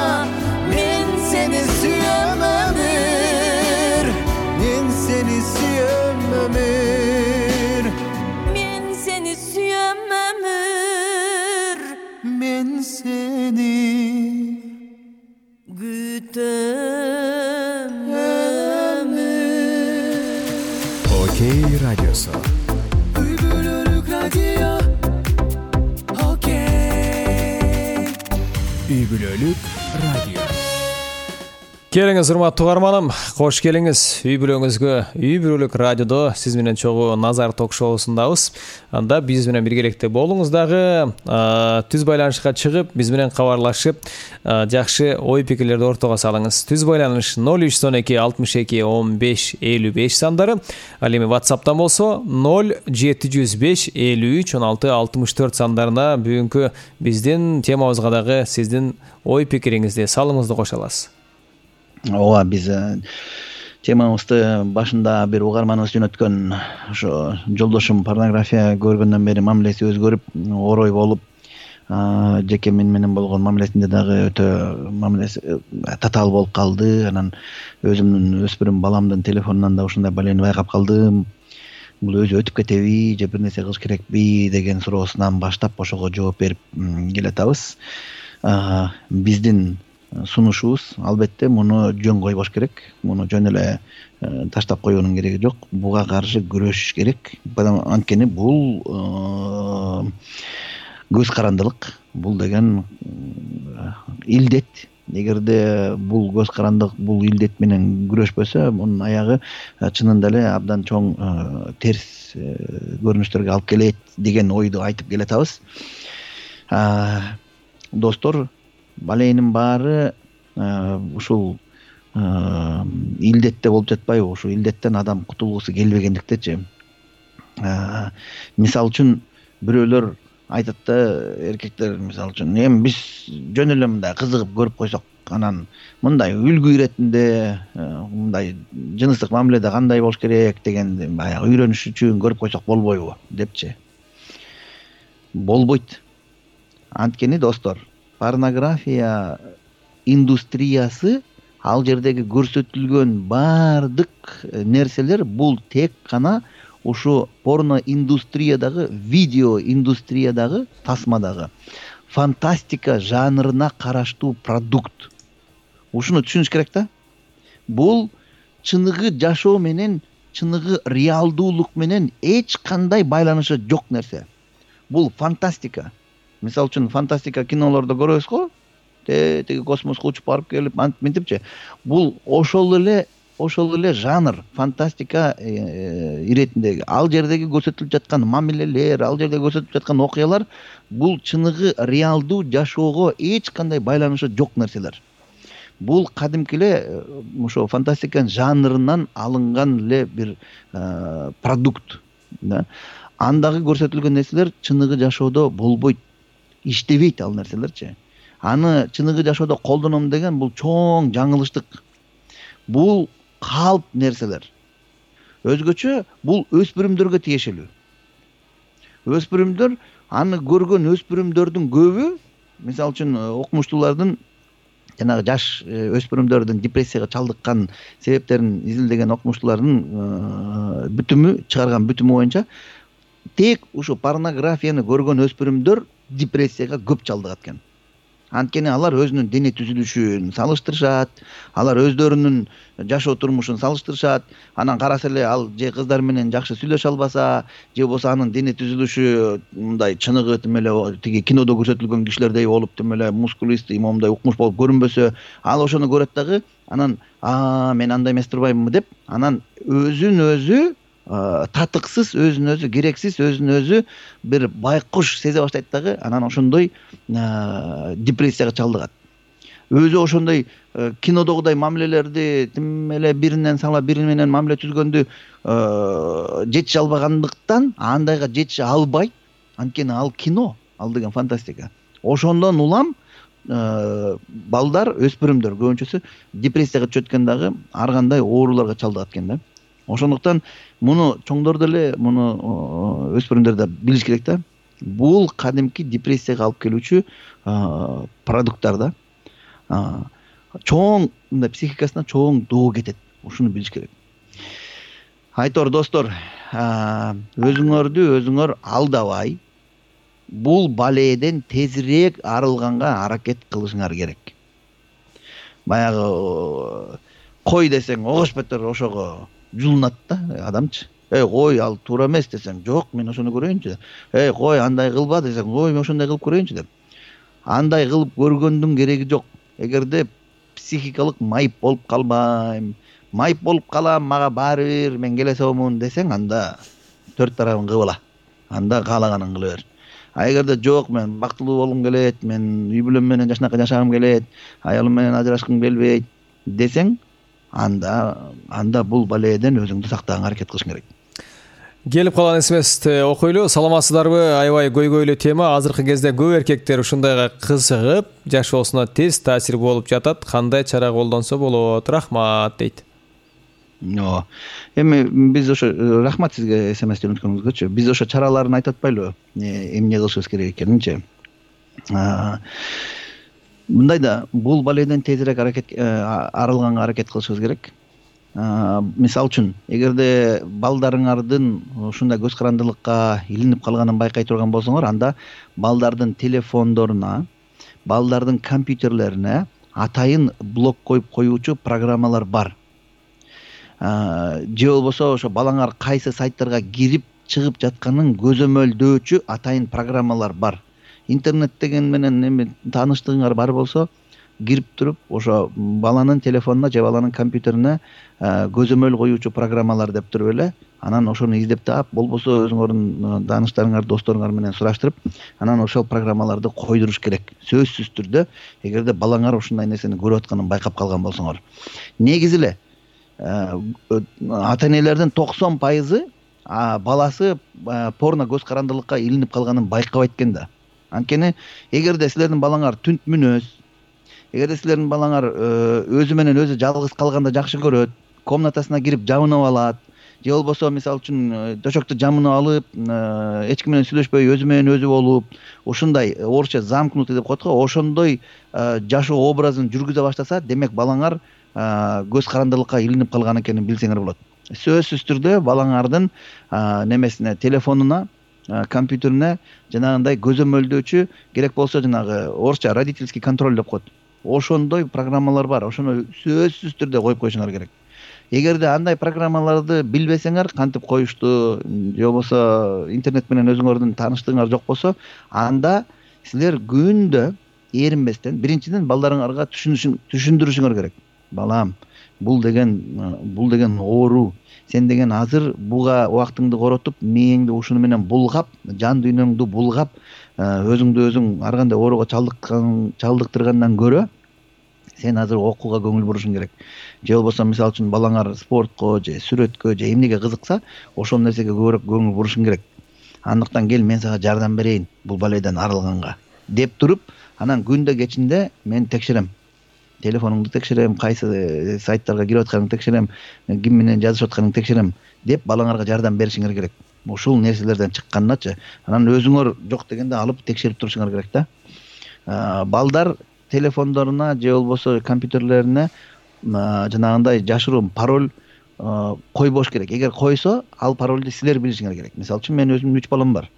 Men seni süyem ömür. Men seni süyem ömür. Men seni süyem ömür. Men seni Gütem ömür. Окей радиосу. Үй бүлөлүк радио. Окей. Үй бүлөлүк радио. Келиңиз урматтуу угарманым, кош келиңиз үй бүлөңүзгө. Үй бүлөлүк радиодо сиз менен чогуу Назар ток-шоусундабыз. Анда биз менен биргеликте болуңуз дагы, түз байланышка чыгып, биз менен кабарлашып, жакшы ой пикирлерди ортого салыңыз. Түз байланыш ноль үч он эки алтымыш эки он беш элүү беш сандары. Ал эми WhatsApp'тан болсо ноль жети жүз беш элүү үч он алты алтымыш төрт сандарына бүгүнкү биздин темабызга дагы сиздин ой пикириңизди, салымыңызды кошо аласыз. Ооба, биз темабызды башында бир угарманыбыз жөнөткөн ошо жолдошум порнография көргөндөн бери мамилеси өзгөрүп, орой болуп, жеке мен менен болгон мамилесинде дагы өтө мамилеси татаал болуп калды. Анан өзүмдүн өспүрүм баламдын телефонунан да ушундай балени байкап калдым. Бул өзү өтүп кетеби же бир нерсе кылыш керекпи деген суроосунан баштап ошого жооп берип келатабыз. Биздин сунушубуз албетте муну жөн койбош керек. Муну жөн эле таштап коюунун кереги жок. Буга каршы күрөшүш керек. Анткени бул көз карандылык. Бул деген илдет. Эгерде бул көз карандык, бул илдет менен күрөшпөсө, мунун аягы чынында эле абдан чоң терс көрүнүштөргө алып келет деген ойду айтып келатабыз. Достор, баленин баары ушул илдетте болуп жатпайбы? Ушул илдеттен адам кутулгусу келбегендиктечи. Мисал үчүн бирөөлөр айтат да, эркектер мисал үчүн, эми биз жөн эле мындай кызыгып көрүп койсок, анан мындай үлгү иретинде, мындай жыныстык мамиледе кандай болуш керек деген баягы үйрөнүш үчүн көрүп койсок болбойбу депчи. Болбойт. Анткени достор, порнография индустриясы, ал жердеги көрсөтүлгөн баардык нерселер бул тек гана ушу порно индустриядагы, видео индустриядагы, тасмадагы фантастика жанрына караштуу продукт. Ушуну түшүнүш керек да. Бул чыныгы жашоо менен, чыныгы реалдуулук менен эч кандай байланышы жок нерсе. Бул фантастика. Мисал үчүн фантастика кинолордо көрөбүз го, теги космоско учуп барып келип, мынтипчи. Бул ошол эле, ошол эле жанр, фантастика иретиндеги. Ал жердеги көрсөтүлүп жаткан мамилелер, ал жерде көрсөтүлүп жаткан окуялар, бул чыныгы реалдуу жашоого эч кандай байланышы жок нерселер. Бул кадимки эле ошо фантастика жанрынан алынган эле бир продукт. Андагы көрсөтүлгөн нерселер чыныгы жашоодо болбойт. Иштебейт ал нерселерчи. Аны чыныгы жашоодо колдоном деген бул чоң жаңылыштык. Бул калп нерселер. Өзгөчө бул өспүрүмдөргө тиешелүү. Өспүрүмдөр, аны көргөн өспүрүмдөрдүн көбү, мисал үчүн окумуштуулардын, жанагы жаш өспүрүмдөрдүн депрессияга чалдыккан себептерин изилдеген окумуштуулардын бүтүмү чыгарган бүтүмү боюнча тек ушу порнографияны көргөн өспүрүмдөр депрессияга көп чалдыгат экен. Анткени алар өзүнүн дене түзүлүшүн салыштырышат, алар өздөрүнүн жашоо турмушун салыштырышат. Анан караса эле ал же кыздар менен жакшы сүйлөшө албаса, же болбосо анын дене түзүлүшү мындай чыныгы тим эле тиги кинодо көрсөтүлгөн кишилердей болуп, тим эле мускулистый, момундай укмуш болуп көрүнбөсө, ал ошону көрөт дагы, анан а мен андай эмес турбаймынбы деп, анан өзүн өзү татыксыз, өзүн өзү керексиз, өзүн өзү бир байкуш сезе баштайт дагы, анан ошондой депрессияга чалдыгат. Өзү ошондой кинодогудай мамилелерди тим эле биринен сала бири менен мамиле түзгөндү жетише албагандыктан андайга жетише албайт. Анткени ал кино, ал деген фантастика. Ошондон улам балдар, өспүрүмдөр көбүнчөсү депрессияга түшөт экен дагы, ар кандай ооруларга чалдыгат экен да. Ошондуктан муну чоңдор деле, муну өспүрүмдөр да билиш керек да. Бул кадимки депрессияга алып келүүчү продукттар да. Чоң мындай психикасына чоң доо кетет. Ушуну билиш керек. Айтор достор, өзүңөрдү өзүңөр алдабай, бул балээден тезирээк арылганга аракет кылышыңар керек. Баягы кой десең огош бетер ошого жулунат да адамчы. Эй, кой, ал туура эмес десең, жок, мен ошону көрөйүнчү. Эй, кой, андай кылба десең, ой, мен ошондой кылып көрөйүнчү деп. Андай кылып көргөндүн кереги жок. Эгерде психикалык майып болуп калбайм, майып болуп калам, мага баары бир, мен келе соомун десең, анда төрт тарабын кыбыла. Анда каалаганын кыла бер. А эгерде жок, мен бактылуу болгум келет, мен үй бүлөм менен жашнакай жашагым келет, аялым менен ажырашкым келбейт десең, анда анда бул балээден өзүңдү сактаганга аракет кылышың керек. Келип калган смсти окуйлу. Саламатсыздарбы? Аябай көйгөйлүү тема. Азыркы кезде көп эркектер ушундайга кызыгып, жашоосуна тез таасир болуп жатат. Кандай чара колдонсо болот? Рахмат дейт. О, эми биз ошо рахмат сизге смс жөнөткөнүңүзгөчү. Биз ошо чараларын айтып атпайлыбы? Эмне кылышыбыз керек экенинчи. Мындай да, бул балээден тезирээк аракет арылганга аракет кылышыбыз керек. Мисалы үчүн, эгерде балдарыңардын ушундай көз карандылыкка илинип калганын байкай турган болсоңор, анда балдардын телефондоруна, балдардын компьютерлерине атайын блок коюп коюучу программалар бар. Же болбосо ошо балаңар кайсы сайттарга кирип чыгып жатканын көзөмөлдөөчү атайын программалар бар. Интернет деген менен эми тааныштыгыңар бар болсо, кирип туруп, ошо баланын телефонуна же баланын компьютерине көзөмөл коюучу программалар деп туруп эле, анан ошону издеп таап, болбосо өзүңөрдүн тааныштарыңар, досторуңар менен сураштырып, анан ошол программаларды койдуруш керек. Сөзсүз түрдө, эгерде балаңар ушундай нерсени көрүп атканын байкап калган болсоңор. Негизи эле ата-энелердин токсон пайызы баласы порно көз карандылыкка илинип калганын байкабайт экен да. Анткени эгерде силердин балаңар түнт мүнөз, эгерде силердин балаңар өзү менен өзү жалгыз калганда жакшы көрөт, комнатасына кирип жабынып алат, же болбосо мисалы үчүн төшөктү жамынып алып, эч ким менен сүйлөшпөй өзү менен өзү болуп, ушундай орусча замкнутый деп коет го, ошондой жашоо образын жүргүзө баштаса, демек балаңар көз карандылыкка илинип калган экенин билсеңер болот. Сөзсүз түрдө балаңардын немесине, телефонуна, компьютерине жанагындай көзөмөлдөөчү, керек болсо жанагы орусча родительский контроль деп коет. Ошондой программалар бар. Ошону сөзсүз түрдө коюп коюшуңар керек. Эгерде андай программаларды билбесеңер, кантип коюшту, же болбосо интернет менен өзүңөрдүн тааныштыгыңар жок болсо, анда силер күндө эринбестен биринчиден балдарыңарга түшүндүрүшүңөр керек. Балам, бул деген бул деген оору. Сен деген азыр буга убактыңды коротуп, мээңди ушуну менен булгап, жан дүйнөңдү булгап, өзүңдү өзүң ар кандай ооруга чалдыктыргандан көрө, сен азыр окууга көңүл бурушуң керек. Же болбосо мисалы үчүн балаңар спортко же сүрөткө же эмнеге кызыкса, ошол нерсеге көбүрөөк көңүл бурушуң керек. Андыктан кел, мен сага жардам берейин бул балээден арылганга деп туруп, анан күндө кечинде мен текшерем. Телефонуңду текшерем, кайсы сайттарга кирип атканыңды текшерем, ким менен жазышып атканыңды текшерем деп балаңарга жардам беришиңер керек. Ушул нерселерден чыккандачы, анан өзүңөр жок дегенде алып текшерип турушуңар керек да. Балдар телефондоруна же болбосо компьютерлерине жанагындай жашыруун пароль койбош керек. Эгер койсо, ал паролду силер билишиңер керек. Мисалы үчүн мен өзүмдүн үч балам бар.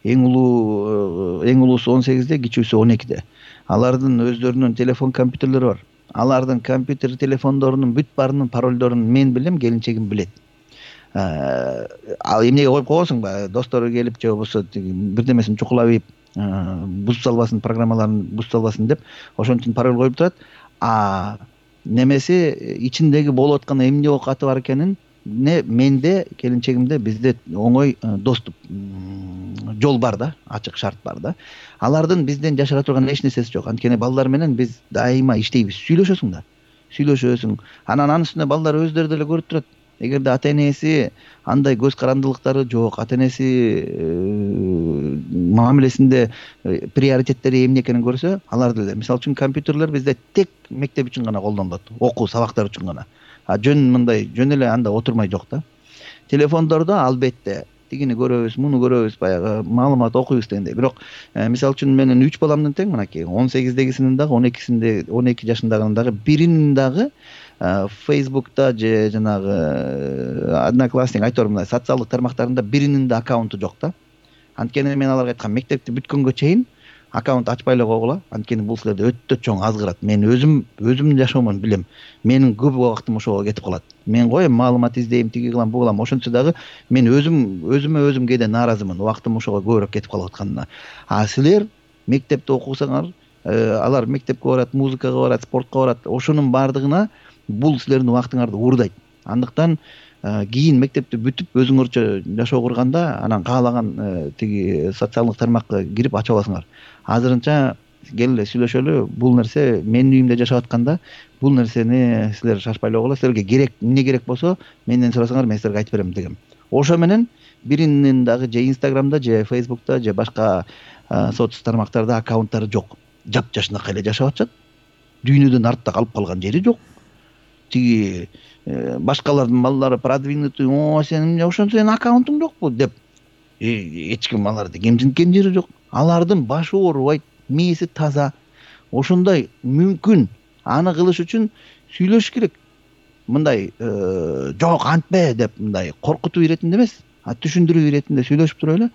Эң улуу эң улуусу он сегизде, кичүүсү он экиде. Алардын өздөрүнүн телефон, компьютерлери бар. Алардын компьютер, телефондорунун бүт баарынын паролдорун мен билем, келинчегим билет. Ал эмнеге коюп койгонсуңбу? Достору келип же болбосо бирдемесин чукулап ийип, бузуп салбасын, программаларын бузуп салбасын деп ошон үчүн пароль коюп турат. А немеси ичиндеги болуп аткан эмне окаты бар экенин не менде, келинчегимде, бизде оңой доступ жол бар да, ачык шарт бар да. Алардын бизден жашыра турган эч нерсеси жок. Анткени балдар менен биз дайыма иштейбиз. Сүйлөшөсүң да. Сүйлөшөсүң. Анан анын үстүнө балдар өздөрү деле көрүп турат. Эгерде ата энеси андай көз карандылыктары жок, ата энеси мамилесинде приоритеттери эмне экенин көрсө, алар деле. Мисалы үчүн компьютерлер бизде тек мектеп үчүн гана колдонулат, окуу сабактар үчүн гана. А жөн мындай жөн эле анда отурмай жок да. Телефондордо албетте тигини көрөбүз, муну көрөбүз, баягы маалымат окуйбуз дегендей. Бирок мисалы үчүн менин үч баламдын тең мынакей он сегиздегисинин дагы, он экисинде, он эки жашындагынын дагы биринин дагы Facebook'та же жанагы Одноклассник айтор мындай социалдык тармактарында биринин да аккаунту жок да. Анткени мен аларга айткам, мектепти бүткөнгө чейин аккаунт ачпай эле койгула. Анткени бул силерде өтө чоң азгырат. Мен өзүм өзүмдүн жашоомун билем. Менин көп убактым ошого кетип калат. Мен коем, маалымат издейм, тиги кылам, бу кылам. Ошентсе дагы мен өзүм өзүмө өзүм кээде нааразымын. Убактым ошого көбүрөөк кетип калып атканына. А силер мектепте окусаңар, алар мектепке барат, музыкага барат, спортко барат. Ошонун баардыгына бул силердин убактыңарды уурдайт. Андыктан кийин мектепти бүтүп өзүңөрчө жашоо курганда анан каалаган тиги социалдык тармакка кирип ача аласыңар. Азырынча кел эле сүйлөшөлү. Бул нерсе менин үйүмдө жашап атканда бул нерсени силер шашпай эле койгула. Силерге керек, эмне керек болсо менден сурасаңар, мен силерге айтып берем дегем. Ошо менен биринин дагы же Instagram'да, же Facebook'та, же башка соц тармактарда аккаунттары жок. Жап-жашынакай эле жашап атышат. Дүйнөдөн артта калып калган жери жок. Тиги башкалардын балдары продвинутый, о, сен эмне ошон сенин аккаунтуң жокпу деп эч ким аларды кемсинткен жери жок. Алардын башы оорубайт, мээси таза. Ошондой мүмкүн. Аны кылыш үчүн сүйлөшүш керек. Мындай жок антпе деп мындай коркутуу иретинде эмес, а түшүндүрүү иретинде сүйлөшүп туруп эле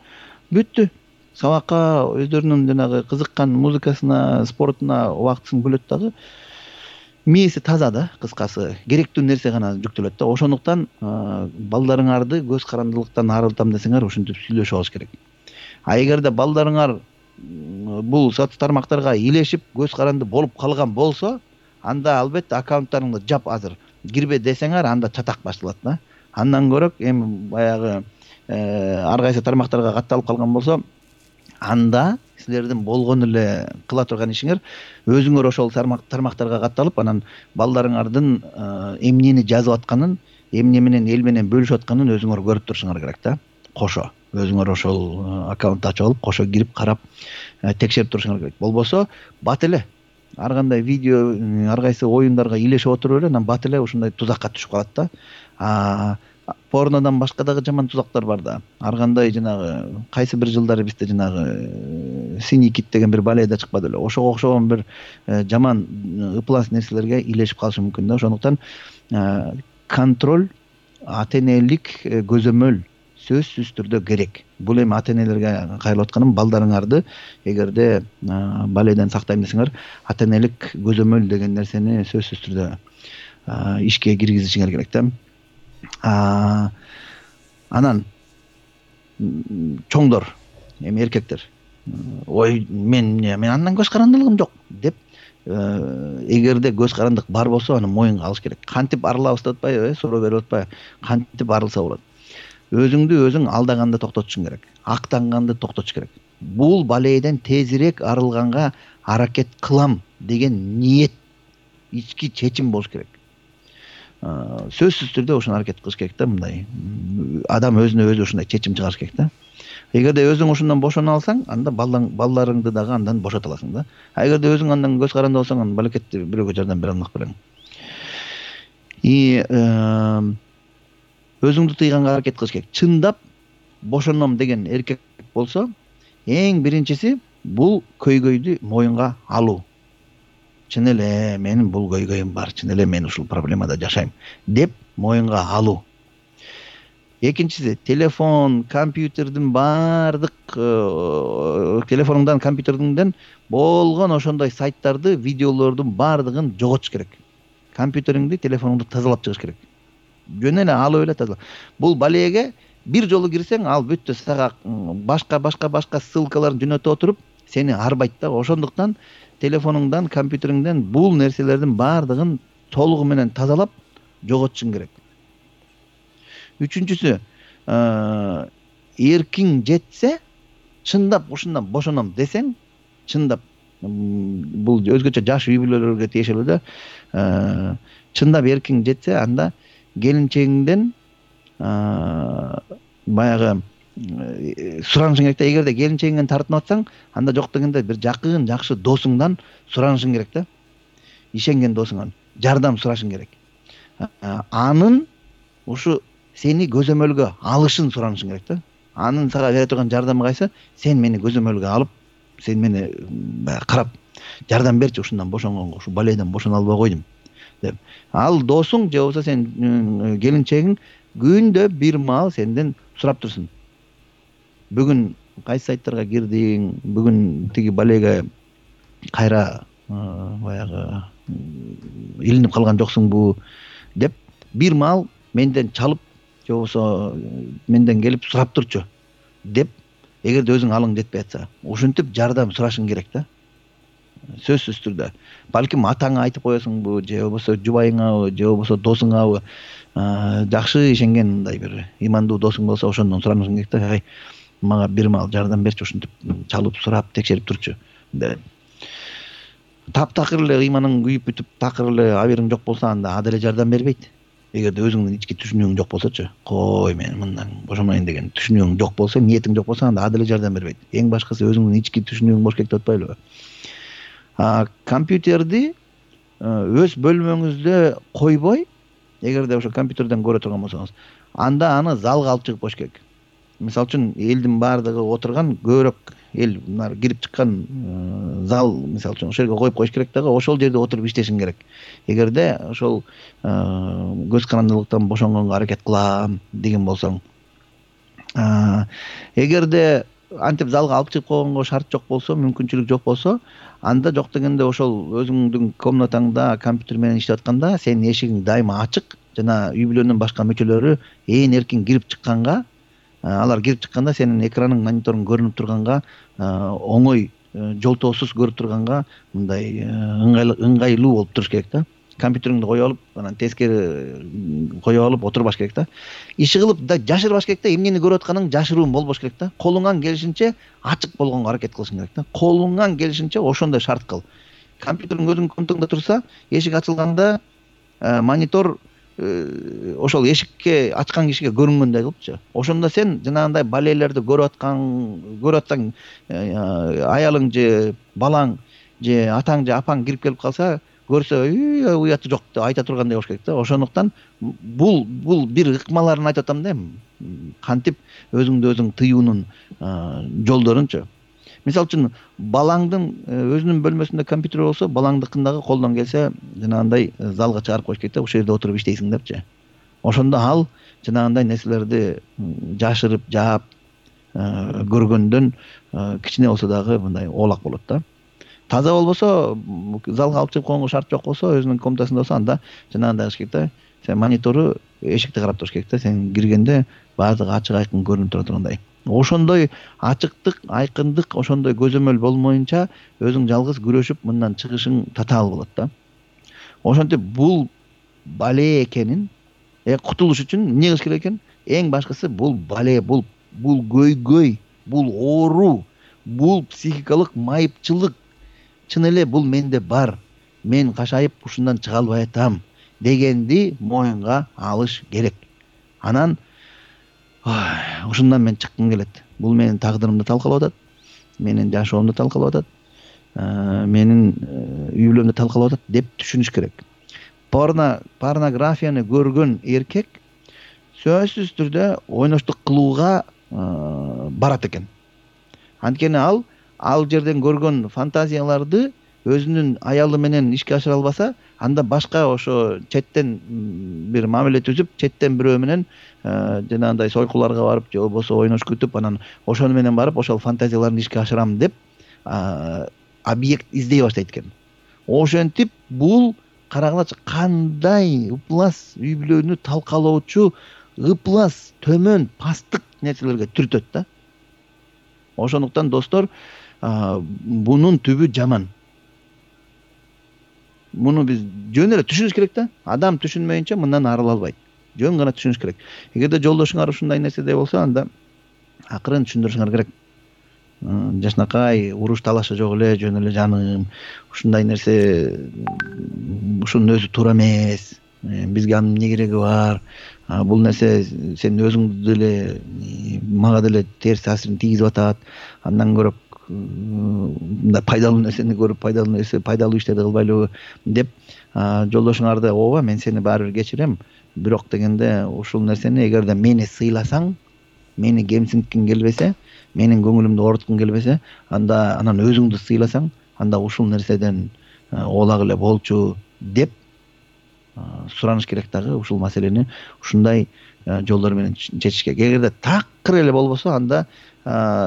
бүттү. Сабакка өздөрүнүн жанагы кызыккан музыкасына, спортуна убактысын бөлөт дагы. Мээси таза да, кыскасы. Керектүү нерсе гана жүктөлөт да. Ошондуктан балдарыңарды көз карандылыктан арылтам десеңер, ошентип сүйлөшүп алыш керек. А эгерде балдарыңар бул соц тармактарга илешип көз каранды болуп калган болсо, анда албетте аккаунттарыңды жап азыр. Кирбе десеңер, анда чатак башталат да. Андан көрөк эми баягы ар кайсы тармактарга катталып калган болсо, анда силердин болгон эле кыла турган ишиңер өзүңөр ошол тармактарга катталып, анан балдарыңардын эмнени жазып атканын, эмне менен эл менен бөлүшүп атканын өзүңөр көрүп турушуңар керек да. Кошо өзүңөр ошол аккаунтту ачып алып, кошо кирип карап текшерип турушуңар керек. Болбосо бат эле ар кандай видео, ар кайсы оюндарга илешип отуруп эле, анан бат эле ушундай тузакка түшүп калат да. А порнодон башка дагы жаман тузактар бар да. Ар кандай жанагы кайсы бир жылдары бизде жанагы Синий кит деген бир баледа чыкпады эле. Ошого окшогон бир жаман ыплас нерселерге илешип калышы мүмкүн да. Ошондуктан контроль, ата энелик көзөмөл сөзсүз түрдө керек. Бул эми ата энелерге кайрылып атканым, балдарыңарды эгерде баледен сактайм десеңер, ата энелик көзөмөл деген нерсени сөзсүз түрдө ишке киргизишиңер керек да. А анан чоңдор, эми эркектер, ой мен мен андан көз карандылыгым жок деп эгерде көз карандык бар болсо, аны моюнга алыш керек. Кантип арылабыз деп атпайбы, суроо берип атпайбы? Кантип арылса болот? Өзүңдү өзүң алдаганды токтотушуң керек. Актанганды токтотуш керек. Бул балейден тезирээк арылганга аракет кылам деген ниет, ички чечим болуш керек. Сөзсүз түрдө ошону аракет кылыш керек да, мындай. Адам өзүнө өзү ушундай чечим чыгарыш керек да. Эгерде өзүң ошондон бошоно алсаң, анда балдарыңды дагы андан бошото аласың да. А эгерде өзүң андан көз каранды болсоң, аны балекетти бирөөгө жардам бере алмак белең. И өзүңдү тыйганга аракет кылыш керек. Чындап бошоном деген эркек болсо, эң биринчиси бул көйгөйдү моюнга алуу. Чын эле менин бул көйгөйүм бар, чын эле мен ушул проблемада жашайм деп моюнга алуу. Экинчиси, телефон, компьютердин баардык телефонуңдан, компьютериңден болгон ошондой сайттарды, видеолордун баардыгын жоготуш керек. Компьютериңди, телефонуңду тазалап чыгыш керек. Жөн эле алып эле тазалап. Бул балеге бир жолу кирсең, ал бүттү, сага башка башка башка ссылкаларын жөнөтүп отуруп, сени арбайт да. Ошондуктан телефонуңдан, компьютериңден бул нерселердин баардыгын толугу менен тазалап жоготушуң керек. Үчүнчүсү, эркиң жетсе, чындап ушундан бошоном десең, чындап бул өзгөчө жаш үй бүлөлөргө тиешелүү да. Чындап эркиң жетсе, анда келинчегиңден баягы суранышың керек да. Эгерде келинчегиңден тартынып атсаң, анда жок дегенде бир жакын, жакшы досуңдан суранышың керек да. Ишенген досуңдан жардам сурашың керек. Анын ушу сени көзөмөлгө алышын суранышың керек да. Анын сага бере турган жардамы кайсы? Сен мени көзөмөлгө алып, сен мени карап жардам берчи, ушундан бошонгонго, ушу баледен бошоно албай койдум деп. Ал досуң же болбосо сен келинчегиң күндө бир маал сенден сурап турсун. Бүгүн кайсы сайттарга кирдиң? Бүгүн тиги балеге кайра баягы илинип калган жоксуңбу деп бир маал менден чалып же болбосо менден келип сурап турчу деп, эгерде өзүң алың жетпей атса, ушинтип жардам сурашың керек да. Сөзсүз түрдө. Балким атаңа айтып коесуңбу, же болбосо жубайыңабы, же болбосо досуңабы, жакшы ишенген мындай бир имандуу досуң болсо ошондон суранышың керек да. Мага бир маал жардам берчи, ушинтип чалып сурап текшерип турчу деп. Таптакыр эле ыйманың күйүп бүтүп, такыр эле абериң жок болсо, анда ада эле жардам бербейт. Эгерде өзүңдүн ички түшүнүгүң жок болсочу, кой мен мындан бошомойн деген түшүнүгүң жок болсо, ниетиң жок болсо, анда ада эле жардам бербейт. Эң башкысы өзүңдүн ички түшүнүгүң бош керек деп атпайлыбы? А компьютерди өз бөлмөңүздө койбой, эгерде ошо компьютерден көрө турган болсоңуз, анда аны залга алып чыгып коюш керек. Мисалы үчүн элдин баардыгы отурган, көбүрөөк эл мына кирип чыккан зал, мисалы үчүн ошол жерге коюп коюш керек дагы, ошол жерде отуруп иштешиң керек. Эгерде ошол көз карандылыктан бошонгонго аракет кылам деген болсоң, эгерде антип залга алып чыгып койгонго шарт жок болсо, мүмкүнчүлүк жок болсо, анда жок дегенде ошол өзүңдүн комнатаңда компьютер менен иштеп атканда сенин эшигиң дайыма ачык, жана үй бүлөнүн башка мүчөлөрү ээн эркин кирип чыкканга, алар кирип чыкканда сенин экраның, мониторуң көрүнүп турганга, оңой жолтоосуз көрүп турганга мындай ыңгайлуу болуп туруш керек да. Компьютериңди коюп алып, анан тескери коюп алып отурбаш керек да. Иши кылып да жашырбаш керек да. Эмнени көрүп атканың жашыруун болбош керек да. Колуңан келишинче ачык болгонго аракет кылышың керек да. Колуңан келишинче ошондой шарт кыл. Компьютериң өзүңдүн комнатаңда турса, эшик ачылганда монитор ошол эшикке ачкан кишиге көрүнгөндөй кылыпчы. Ошондо сен жанагындай балелерди көрүп аткан, көрүп атсаң, аялың же балаң же атаң же апаң кирип келип калса, көрсө, уяты жок деп айта тургандай болуш керек да. Ошондуктан бул бул бир ыкмаларын айтып атам да. Кантип өзүңдү өзүң тыюунун жолдорунчу. Мисалы үчүн балаңдын өзүнүн бөлмөсүндө компьютер болсо, балаңдыкындагы колдон келсе жанагындай залга чыгарып коюш керек да. Ошол жерде отуруп иштейсиң депчи. Ошондо ал жанагындай нерселерди жашырып, жаап көргөндөн кичине болсо дагы мындай оолак болот да. Таза болбосо, залга алып чыгып койгонго шарт жок болсо, өзүнүн комнатасында болсо, анда жанагындай кылыш керек да. Сен монитору эшикти карап туруш керек да. Сен киргенде баардыгы ачык айкын көрүнүп тура тургандай. Ошондой ачыктык, айкындык, ошондой көзөмөл болмоюнча өзүң жалгыз күрөшүп мындан чыгышың татаал болот да. Ошентип бул бале экенин э кутулуш үчүн эмне кылыш керек экен? Эң башкысы бул бале, бул бул көйгөй, бул оору, бул психикалык майыпчылык чын эле бул менде бар. Мен кашайып ушундан чыга албай атам дегенди моюнга алыш керек. Анан ушундан мен чыккым келет. Бул менин тагдырымды талкалап атат, менин жашоомду талкалап атат, менин үй бүлөмдү талкалап атат деп түшүнүш керек. Порно, порнографияны көргөн эркек сөзсүз түрдө ойноштук кылууга барат экен. Анткени ал ал жерден көргөн фантазияларды өзүнүн аялы менен ишке ашыра албаса, анда башка ошо четтен бир мамиле түзүп, четтен бирөө менен жанагындай сойкуларга барып же болбосо ойнош күтүп, анан ошону менен барып ошол фантазияларын ишке ашырам деп объект издей баштайт экен. Ошентип бул карагылачы кандай ыплас үй бүлөнү талкалоочу, ыплас, төмөн, пасттык нерселерге түртөт да. Ошондуктан достор, бунун түбү жаман. Муну биз жөн эле түшүнүш керек да. Адам түшүнмөйүнчө мындан арыла албайт. Жөн гана түшүнүш керек. Эгерде жолдошуңар ушундай нерседе болсо, анда акырын түшүндүрүшүңөр керек. Жашнакай, уруш талашы жок эле, жөн эле жаным. Ушундай нерсе ушунун өзү туура эмес. Бизге анын эмне кереги бар? Бул нерсе сен өзүңдү деле, мага деле терс таасирин тийгизип атат. Андан көрөп мындай пайдалуу нерсени көрүп, пайдалуу нерсе, пайдалуу иштерди кылбайлыбы деп жолдошуңарды, ооба мен сени баары бир кечирем, бирок дегенде ушул нерсени эгерде мени сыйласаң, мени кемсинткиң келбесе, менин көңүлүмдү ооруткуң келбесе, анда анан өзүңдү сыйласаң, анда ушул нерседен оолагыла болчу деп сураныш керек дагы. Ушул маселени ушундай жолдор менен чечиш керек. Эгерде такыр эле болбосо, анда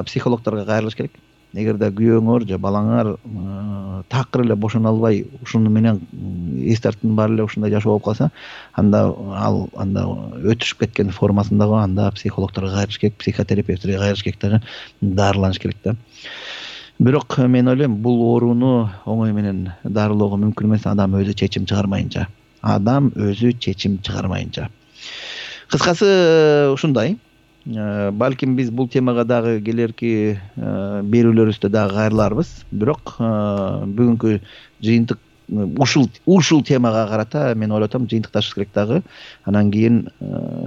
психологдорго кайрылыш керек. Эгерде күйөөңөр же балаңар такыр эле бошоно албай, ушуну менен эс тартыптын баары эле ушундай жашоо болуп калса, анда ал анда өтүшүп кеткен формасындагы, анда психологдорго кайрылыш керек, психотерапевттерге кайрылыш керек дагы, дарыланыш керек да. Бирок мен ойлойм, бул ооруну оңой менен дарылоого мүмкүн эмес, адам өзү чечим чыгармайынча. Адам өзү чечим чыгармайынча. Кыскасы ушундай. Балким биз бул темага дагы келерки берүүлөрүбүздө дагы кайрыларбыз. Бирок бүгүнкү жыйынтык ушул ушул темага карата мен ойлотом жыйынтыкташыбыз керек дагы. Анан кийин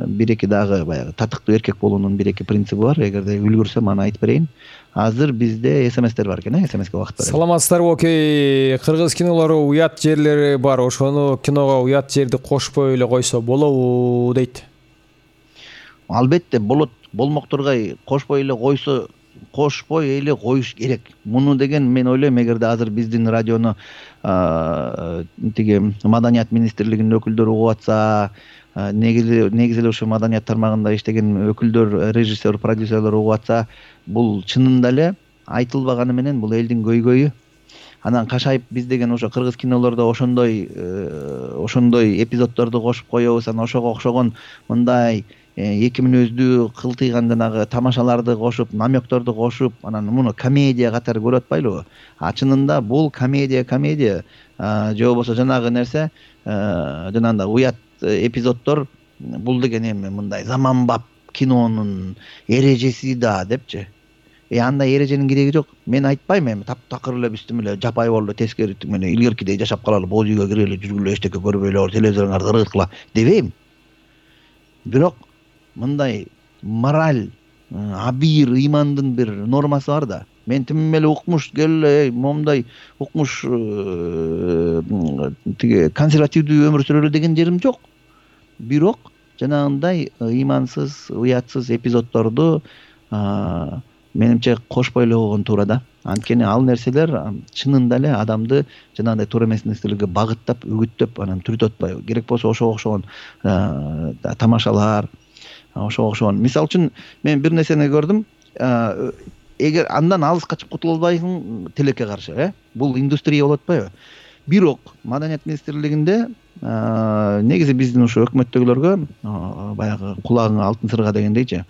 бир эки дагы баягы татыктуу эркек болуунун бир эки принциби бар. Эгерде үлгүрсөм аны айтып берейин. Азыр бизде смстер бар экен, э, смске убакыт бар. Саламатсыздарбы, окей. Кыргыз кинолору уят жерлери бар. Ошону киного уят жерди кошпой эле койсо болобу дейт. Албетте болот. Болмокторго кошпой эле койсо, кошпой эле коюш керек. Муну деген мен ойлойм, эгерде азыр биздин радиону тиги Маданият министрлигинин өкүлдөрү угуп атса, негизи негизи эле ушу маданият тармагында иштеген өкүлдөр, режиссер, продюсерлер угуп атса, бул чынында эле айтылбаганы менен бул элдин көйгөйү. Анан кашайып биз деген ошо кыргыз кинолордо ошондой ошондой эпизоддорду кошуп коебуз, анан ошого окшогон мындай эки мүнөздүү кылтыйган жанагы тамашаларды кошуп, намекторду кошуп, анан муну комедия катары көрүп атпайлыбы? А чынында бул комедия, комедия же болбосо жанагы нерсе, жанагындай уят эпизоддор, бул деген эми мындай заманбап кинонун эрежеси да депчи. Э андай эреженин кереги жок. Мен айтпайм эми таптакыр эле биздин эле жапай болду, тескери менен илгеркидей жашап калалы, боз үйгө кирели, жүргүлө, эчтеке көрбөйлөр, телевизоруңарды ыргыткыла дебейм. Бирок мындай мораль, абийир, ыймандын бир нормасы бар да. Мен тим эле укмуш келе, момундай укмуш тиги консервативдүү өмүр сүрөлү деген жерим жок. Бирок жанагындай ыймансыз, уятсыз эпизоддорду менимче кошпой эле койгон туура да. Анткени ал нерселер чынында эле адамды жанагындай туура эмес нерселерге багыттап, үгүттөп, анан түртүп атпайбы. Керек болсо ошого окшогон тамашалар, ошого окшогон. Мисалы үчүн мен бир нерсени көрдүм. Эгер андан алыс качып кутула албайсың тилекке каршы, э? Бул индустрия болуп атпайбы? Бирок Маданият министрлигинде негизи биздин ушу өкмөттөгүлөргө баягы кулагыңа алтын сырга дегендейчи.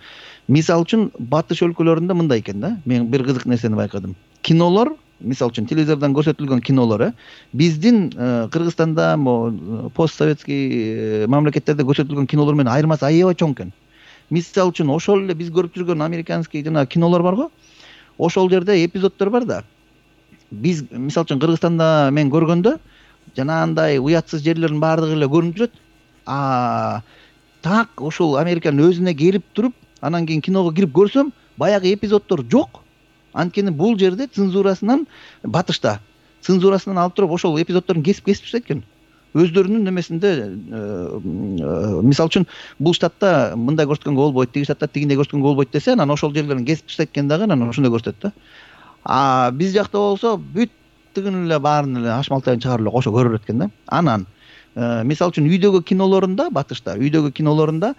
Мисалы үчүн батыш өлкөлөрүндө мындай экен да. Мен бир кызык нерсени байкадым. Кинолор, мисалы үчүн телевизордон көрсөтүлгөн кинолор, э, биздин Кыргызстанда, постсоветский мамлекеттерде көрсөтүлгөн кинолор менен айырмасы аябай чоң экен. Мисалы үчүн ошол эле биз көрүп жүргөн американский жана кинолор барго, ошол жерде эпизоддор бар да. Биз мисалы үчүн Кыргызстанда мен көргөндө жанагындай уятсыз жерлердин баардыгы эле көрүнүп жүрөт. А так ошол Американын өзүнө келип туруп, анан кийин киного кирип көрсөм, баягы эпизоддор жок. Анткени бул жерде цензурасынан, батышта цензурасынан алып туруп ошол эпизоддордун кесип-кесип экен. Өздөрүнүн немесинде, мисалы үчүн бул штатта мындай көрсөткөнгө болбойт, тиги штатта тигиндей көрсөткөнгө болбойт десе, анан ошол жерлерин кесип экен дагы, анан ошондой көрсөтөт да. А биз жакта болсо бүт тигин эле баарын эле аш малтайын чыгарып эле кошо көрөр экен да. Анан мисалы үчүн үйдөгү кинолорунда, батышта үйдөгү кинолорунда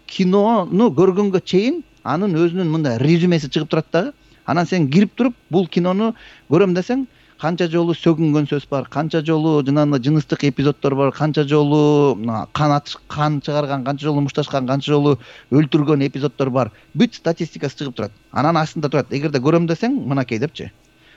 кинону көргөнгө чейин анын өзүнүн мындай резюмеси чыгып турат дагы. Анан сен кирип туруп бул кинону көрөм десең, канча жолу сөгүнгөн сөз бар, канча жолу жанагындай жыныстык эпизоддор бар, канча жолу кан кан чыгарган, канча жолу мушташкан, канча жолу өлтүргөн эпизоддор бар. Бүт статистикасы чыгып турат. Анан астында турат, эгерде көрөм десең, мынакей депчи.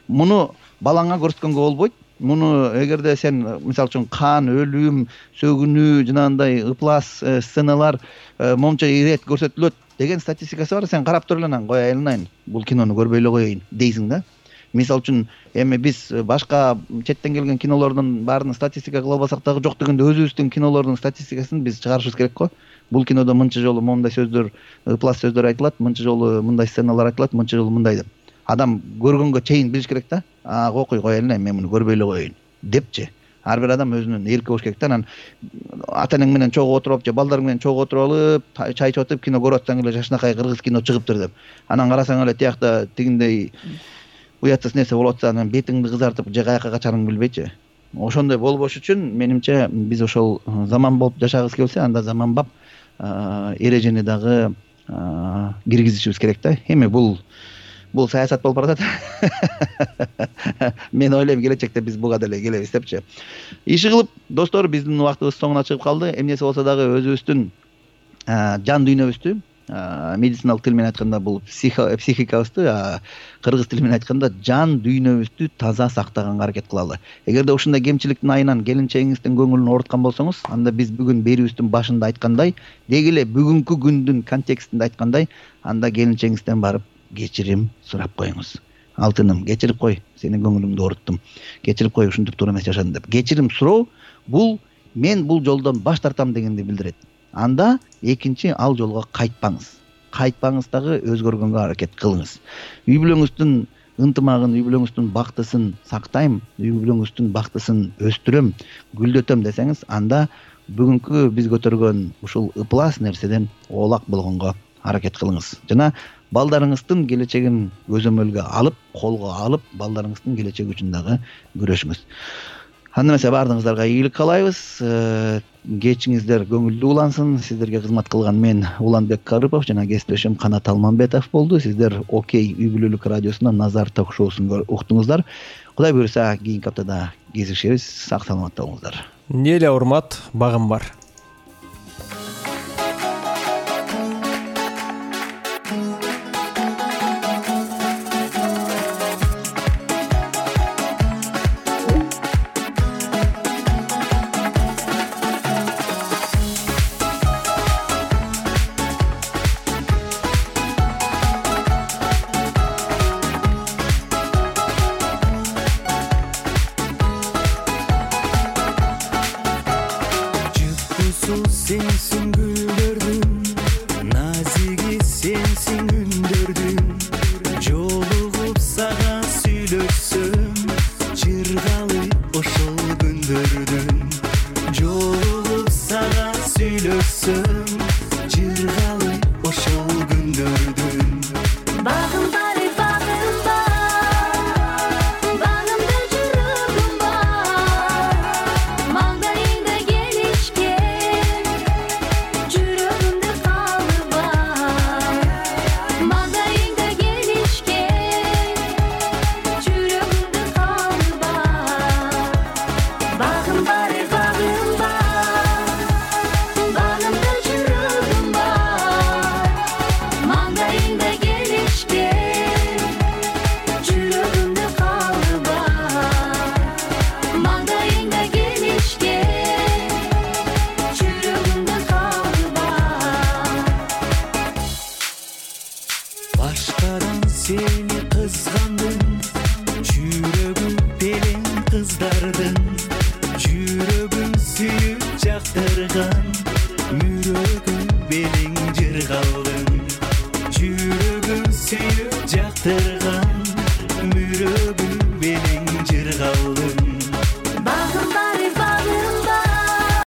Муну балаңа көрсөткөнгө болбойт. Муну эгерде сен мисалы үчүн кан, өлүм, сөгүнүү, жанагындай ыплас сценалар момча ирет көрсөтүлөт деген статистикасы бар. Сен карап туруп эле анан кой айланайын, бул кинону көрбөй эле коеюн дейсиң да. Мисалы үчүн эми биз башка четтен келген кинолордун баарын статистика кыла албасак дагы, жок дегенде өзүбүздүн кинолордун статистикасын биз чыгарышыбыз керек го. Бул кинодо мынча жолу моундай сөздөр, ыплас сөздөр айтылат, мынча жолу мындай сценалар айтылат, мынча жолу мындай деп. Адам көргөнгө чейин билиш керек да. А окуй кой эле, мен муну көрбөй эле коеюн депчи. Ар бир адам өзүнүн эрки болуш керек да. Анан ата энең менен чогуу отуруп, же балдарың менен чогуу отуруп алып, чай ичип атып кино көрүп атсаң эле жашынакай кыргыз кино чыгыптыр деп. Анан карасаң эле тиякта тигиндей уятсыз нерсе болуп атса, анан бетиңди кызартып же каяка качарыңды билбейчи. Ошондой болбош үчүн менимче биз ошол заман болуп жашагыбыз келсе, анда заманбап эрежени дагы киргизишибиз керек да. Эми бул бул саясат болуп баратат. Мен ойлойм келечекте биз буга деле келебиз депчи. Иши кылып, достор, биздин убактыбыз соңуна чыгып калды. Эмнеси болсо дагы өзүбүздүн жан дүйнөбүздү, медициналык тил менен айтканда бул психикабызды, кыргыз тили менен айтканда жан дүйнөбүздү таза сактаганга аракет кылалы. Эгерде ушундай кемчиликтин айынан келинчегиңиздин көңүлүн ооруткан болсоңуз, анда биз бүгүн берүүбүздүн башында айткандай, деги эле бүгүнкү күндүн контекстинде айткандай, анда келинчегиңизден барып кечирим сурап коюңуз. Алтыным, кечирип кой, сенин көңүлүңдү ооруттум. Кечирип кой, ушинтип туура эмес жашадым деп. Кечирим суроо бул мен бул жолдон баш тартам дегенди билдирет. Анда экинчи ал жолго кайтпаңыз. Кайтпаңыз дагы өзгөргөнгө аракет кылыңыз. Үй бүлөңүздүн ынтымагын, үй бүлөңүздүн бактысын сактайм, үй бүлөңүздүн бактысын өстүрөм, гүлдөтөм десеңиз, анда бүгүнкү биз көтөргөн ушул ыплас нерседен оолак болгонго аракет кылыңыз. Жана балдарыңыздын келечегин көзөмөлгө алып, колго алып, балдарыңыздын келечеги үчүн дагы күрөшүңүз. Анда эмесе баардыгыңыздарга ийгилик каалайбыз. Кечиңиздер көңүлдүү улансын. Сиздерге кызмат кылган мен Уланбек Карыпов жана кесиптешим Канат Алмамбетов болду. Сиздер Окей үй бүлөлүк радиосунан Назар ток-шоусун уктуңуздар. Кудай буйруса, кийинки аптада кезишебиз. Сак саламатта болуңуздар. Эле урмат, багым бар.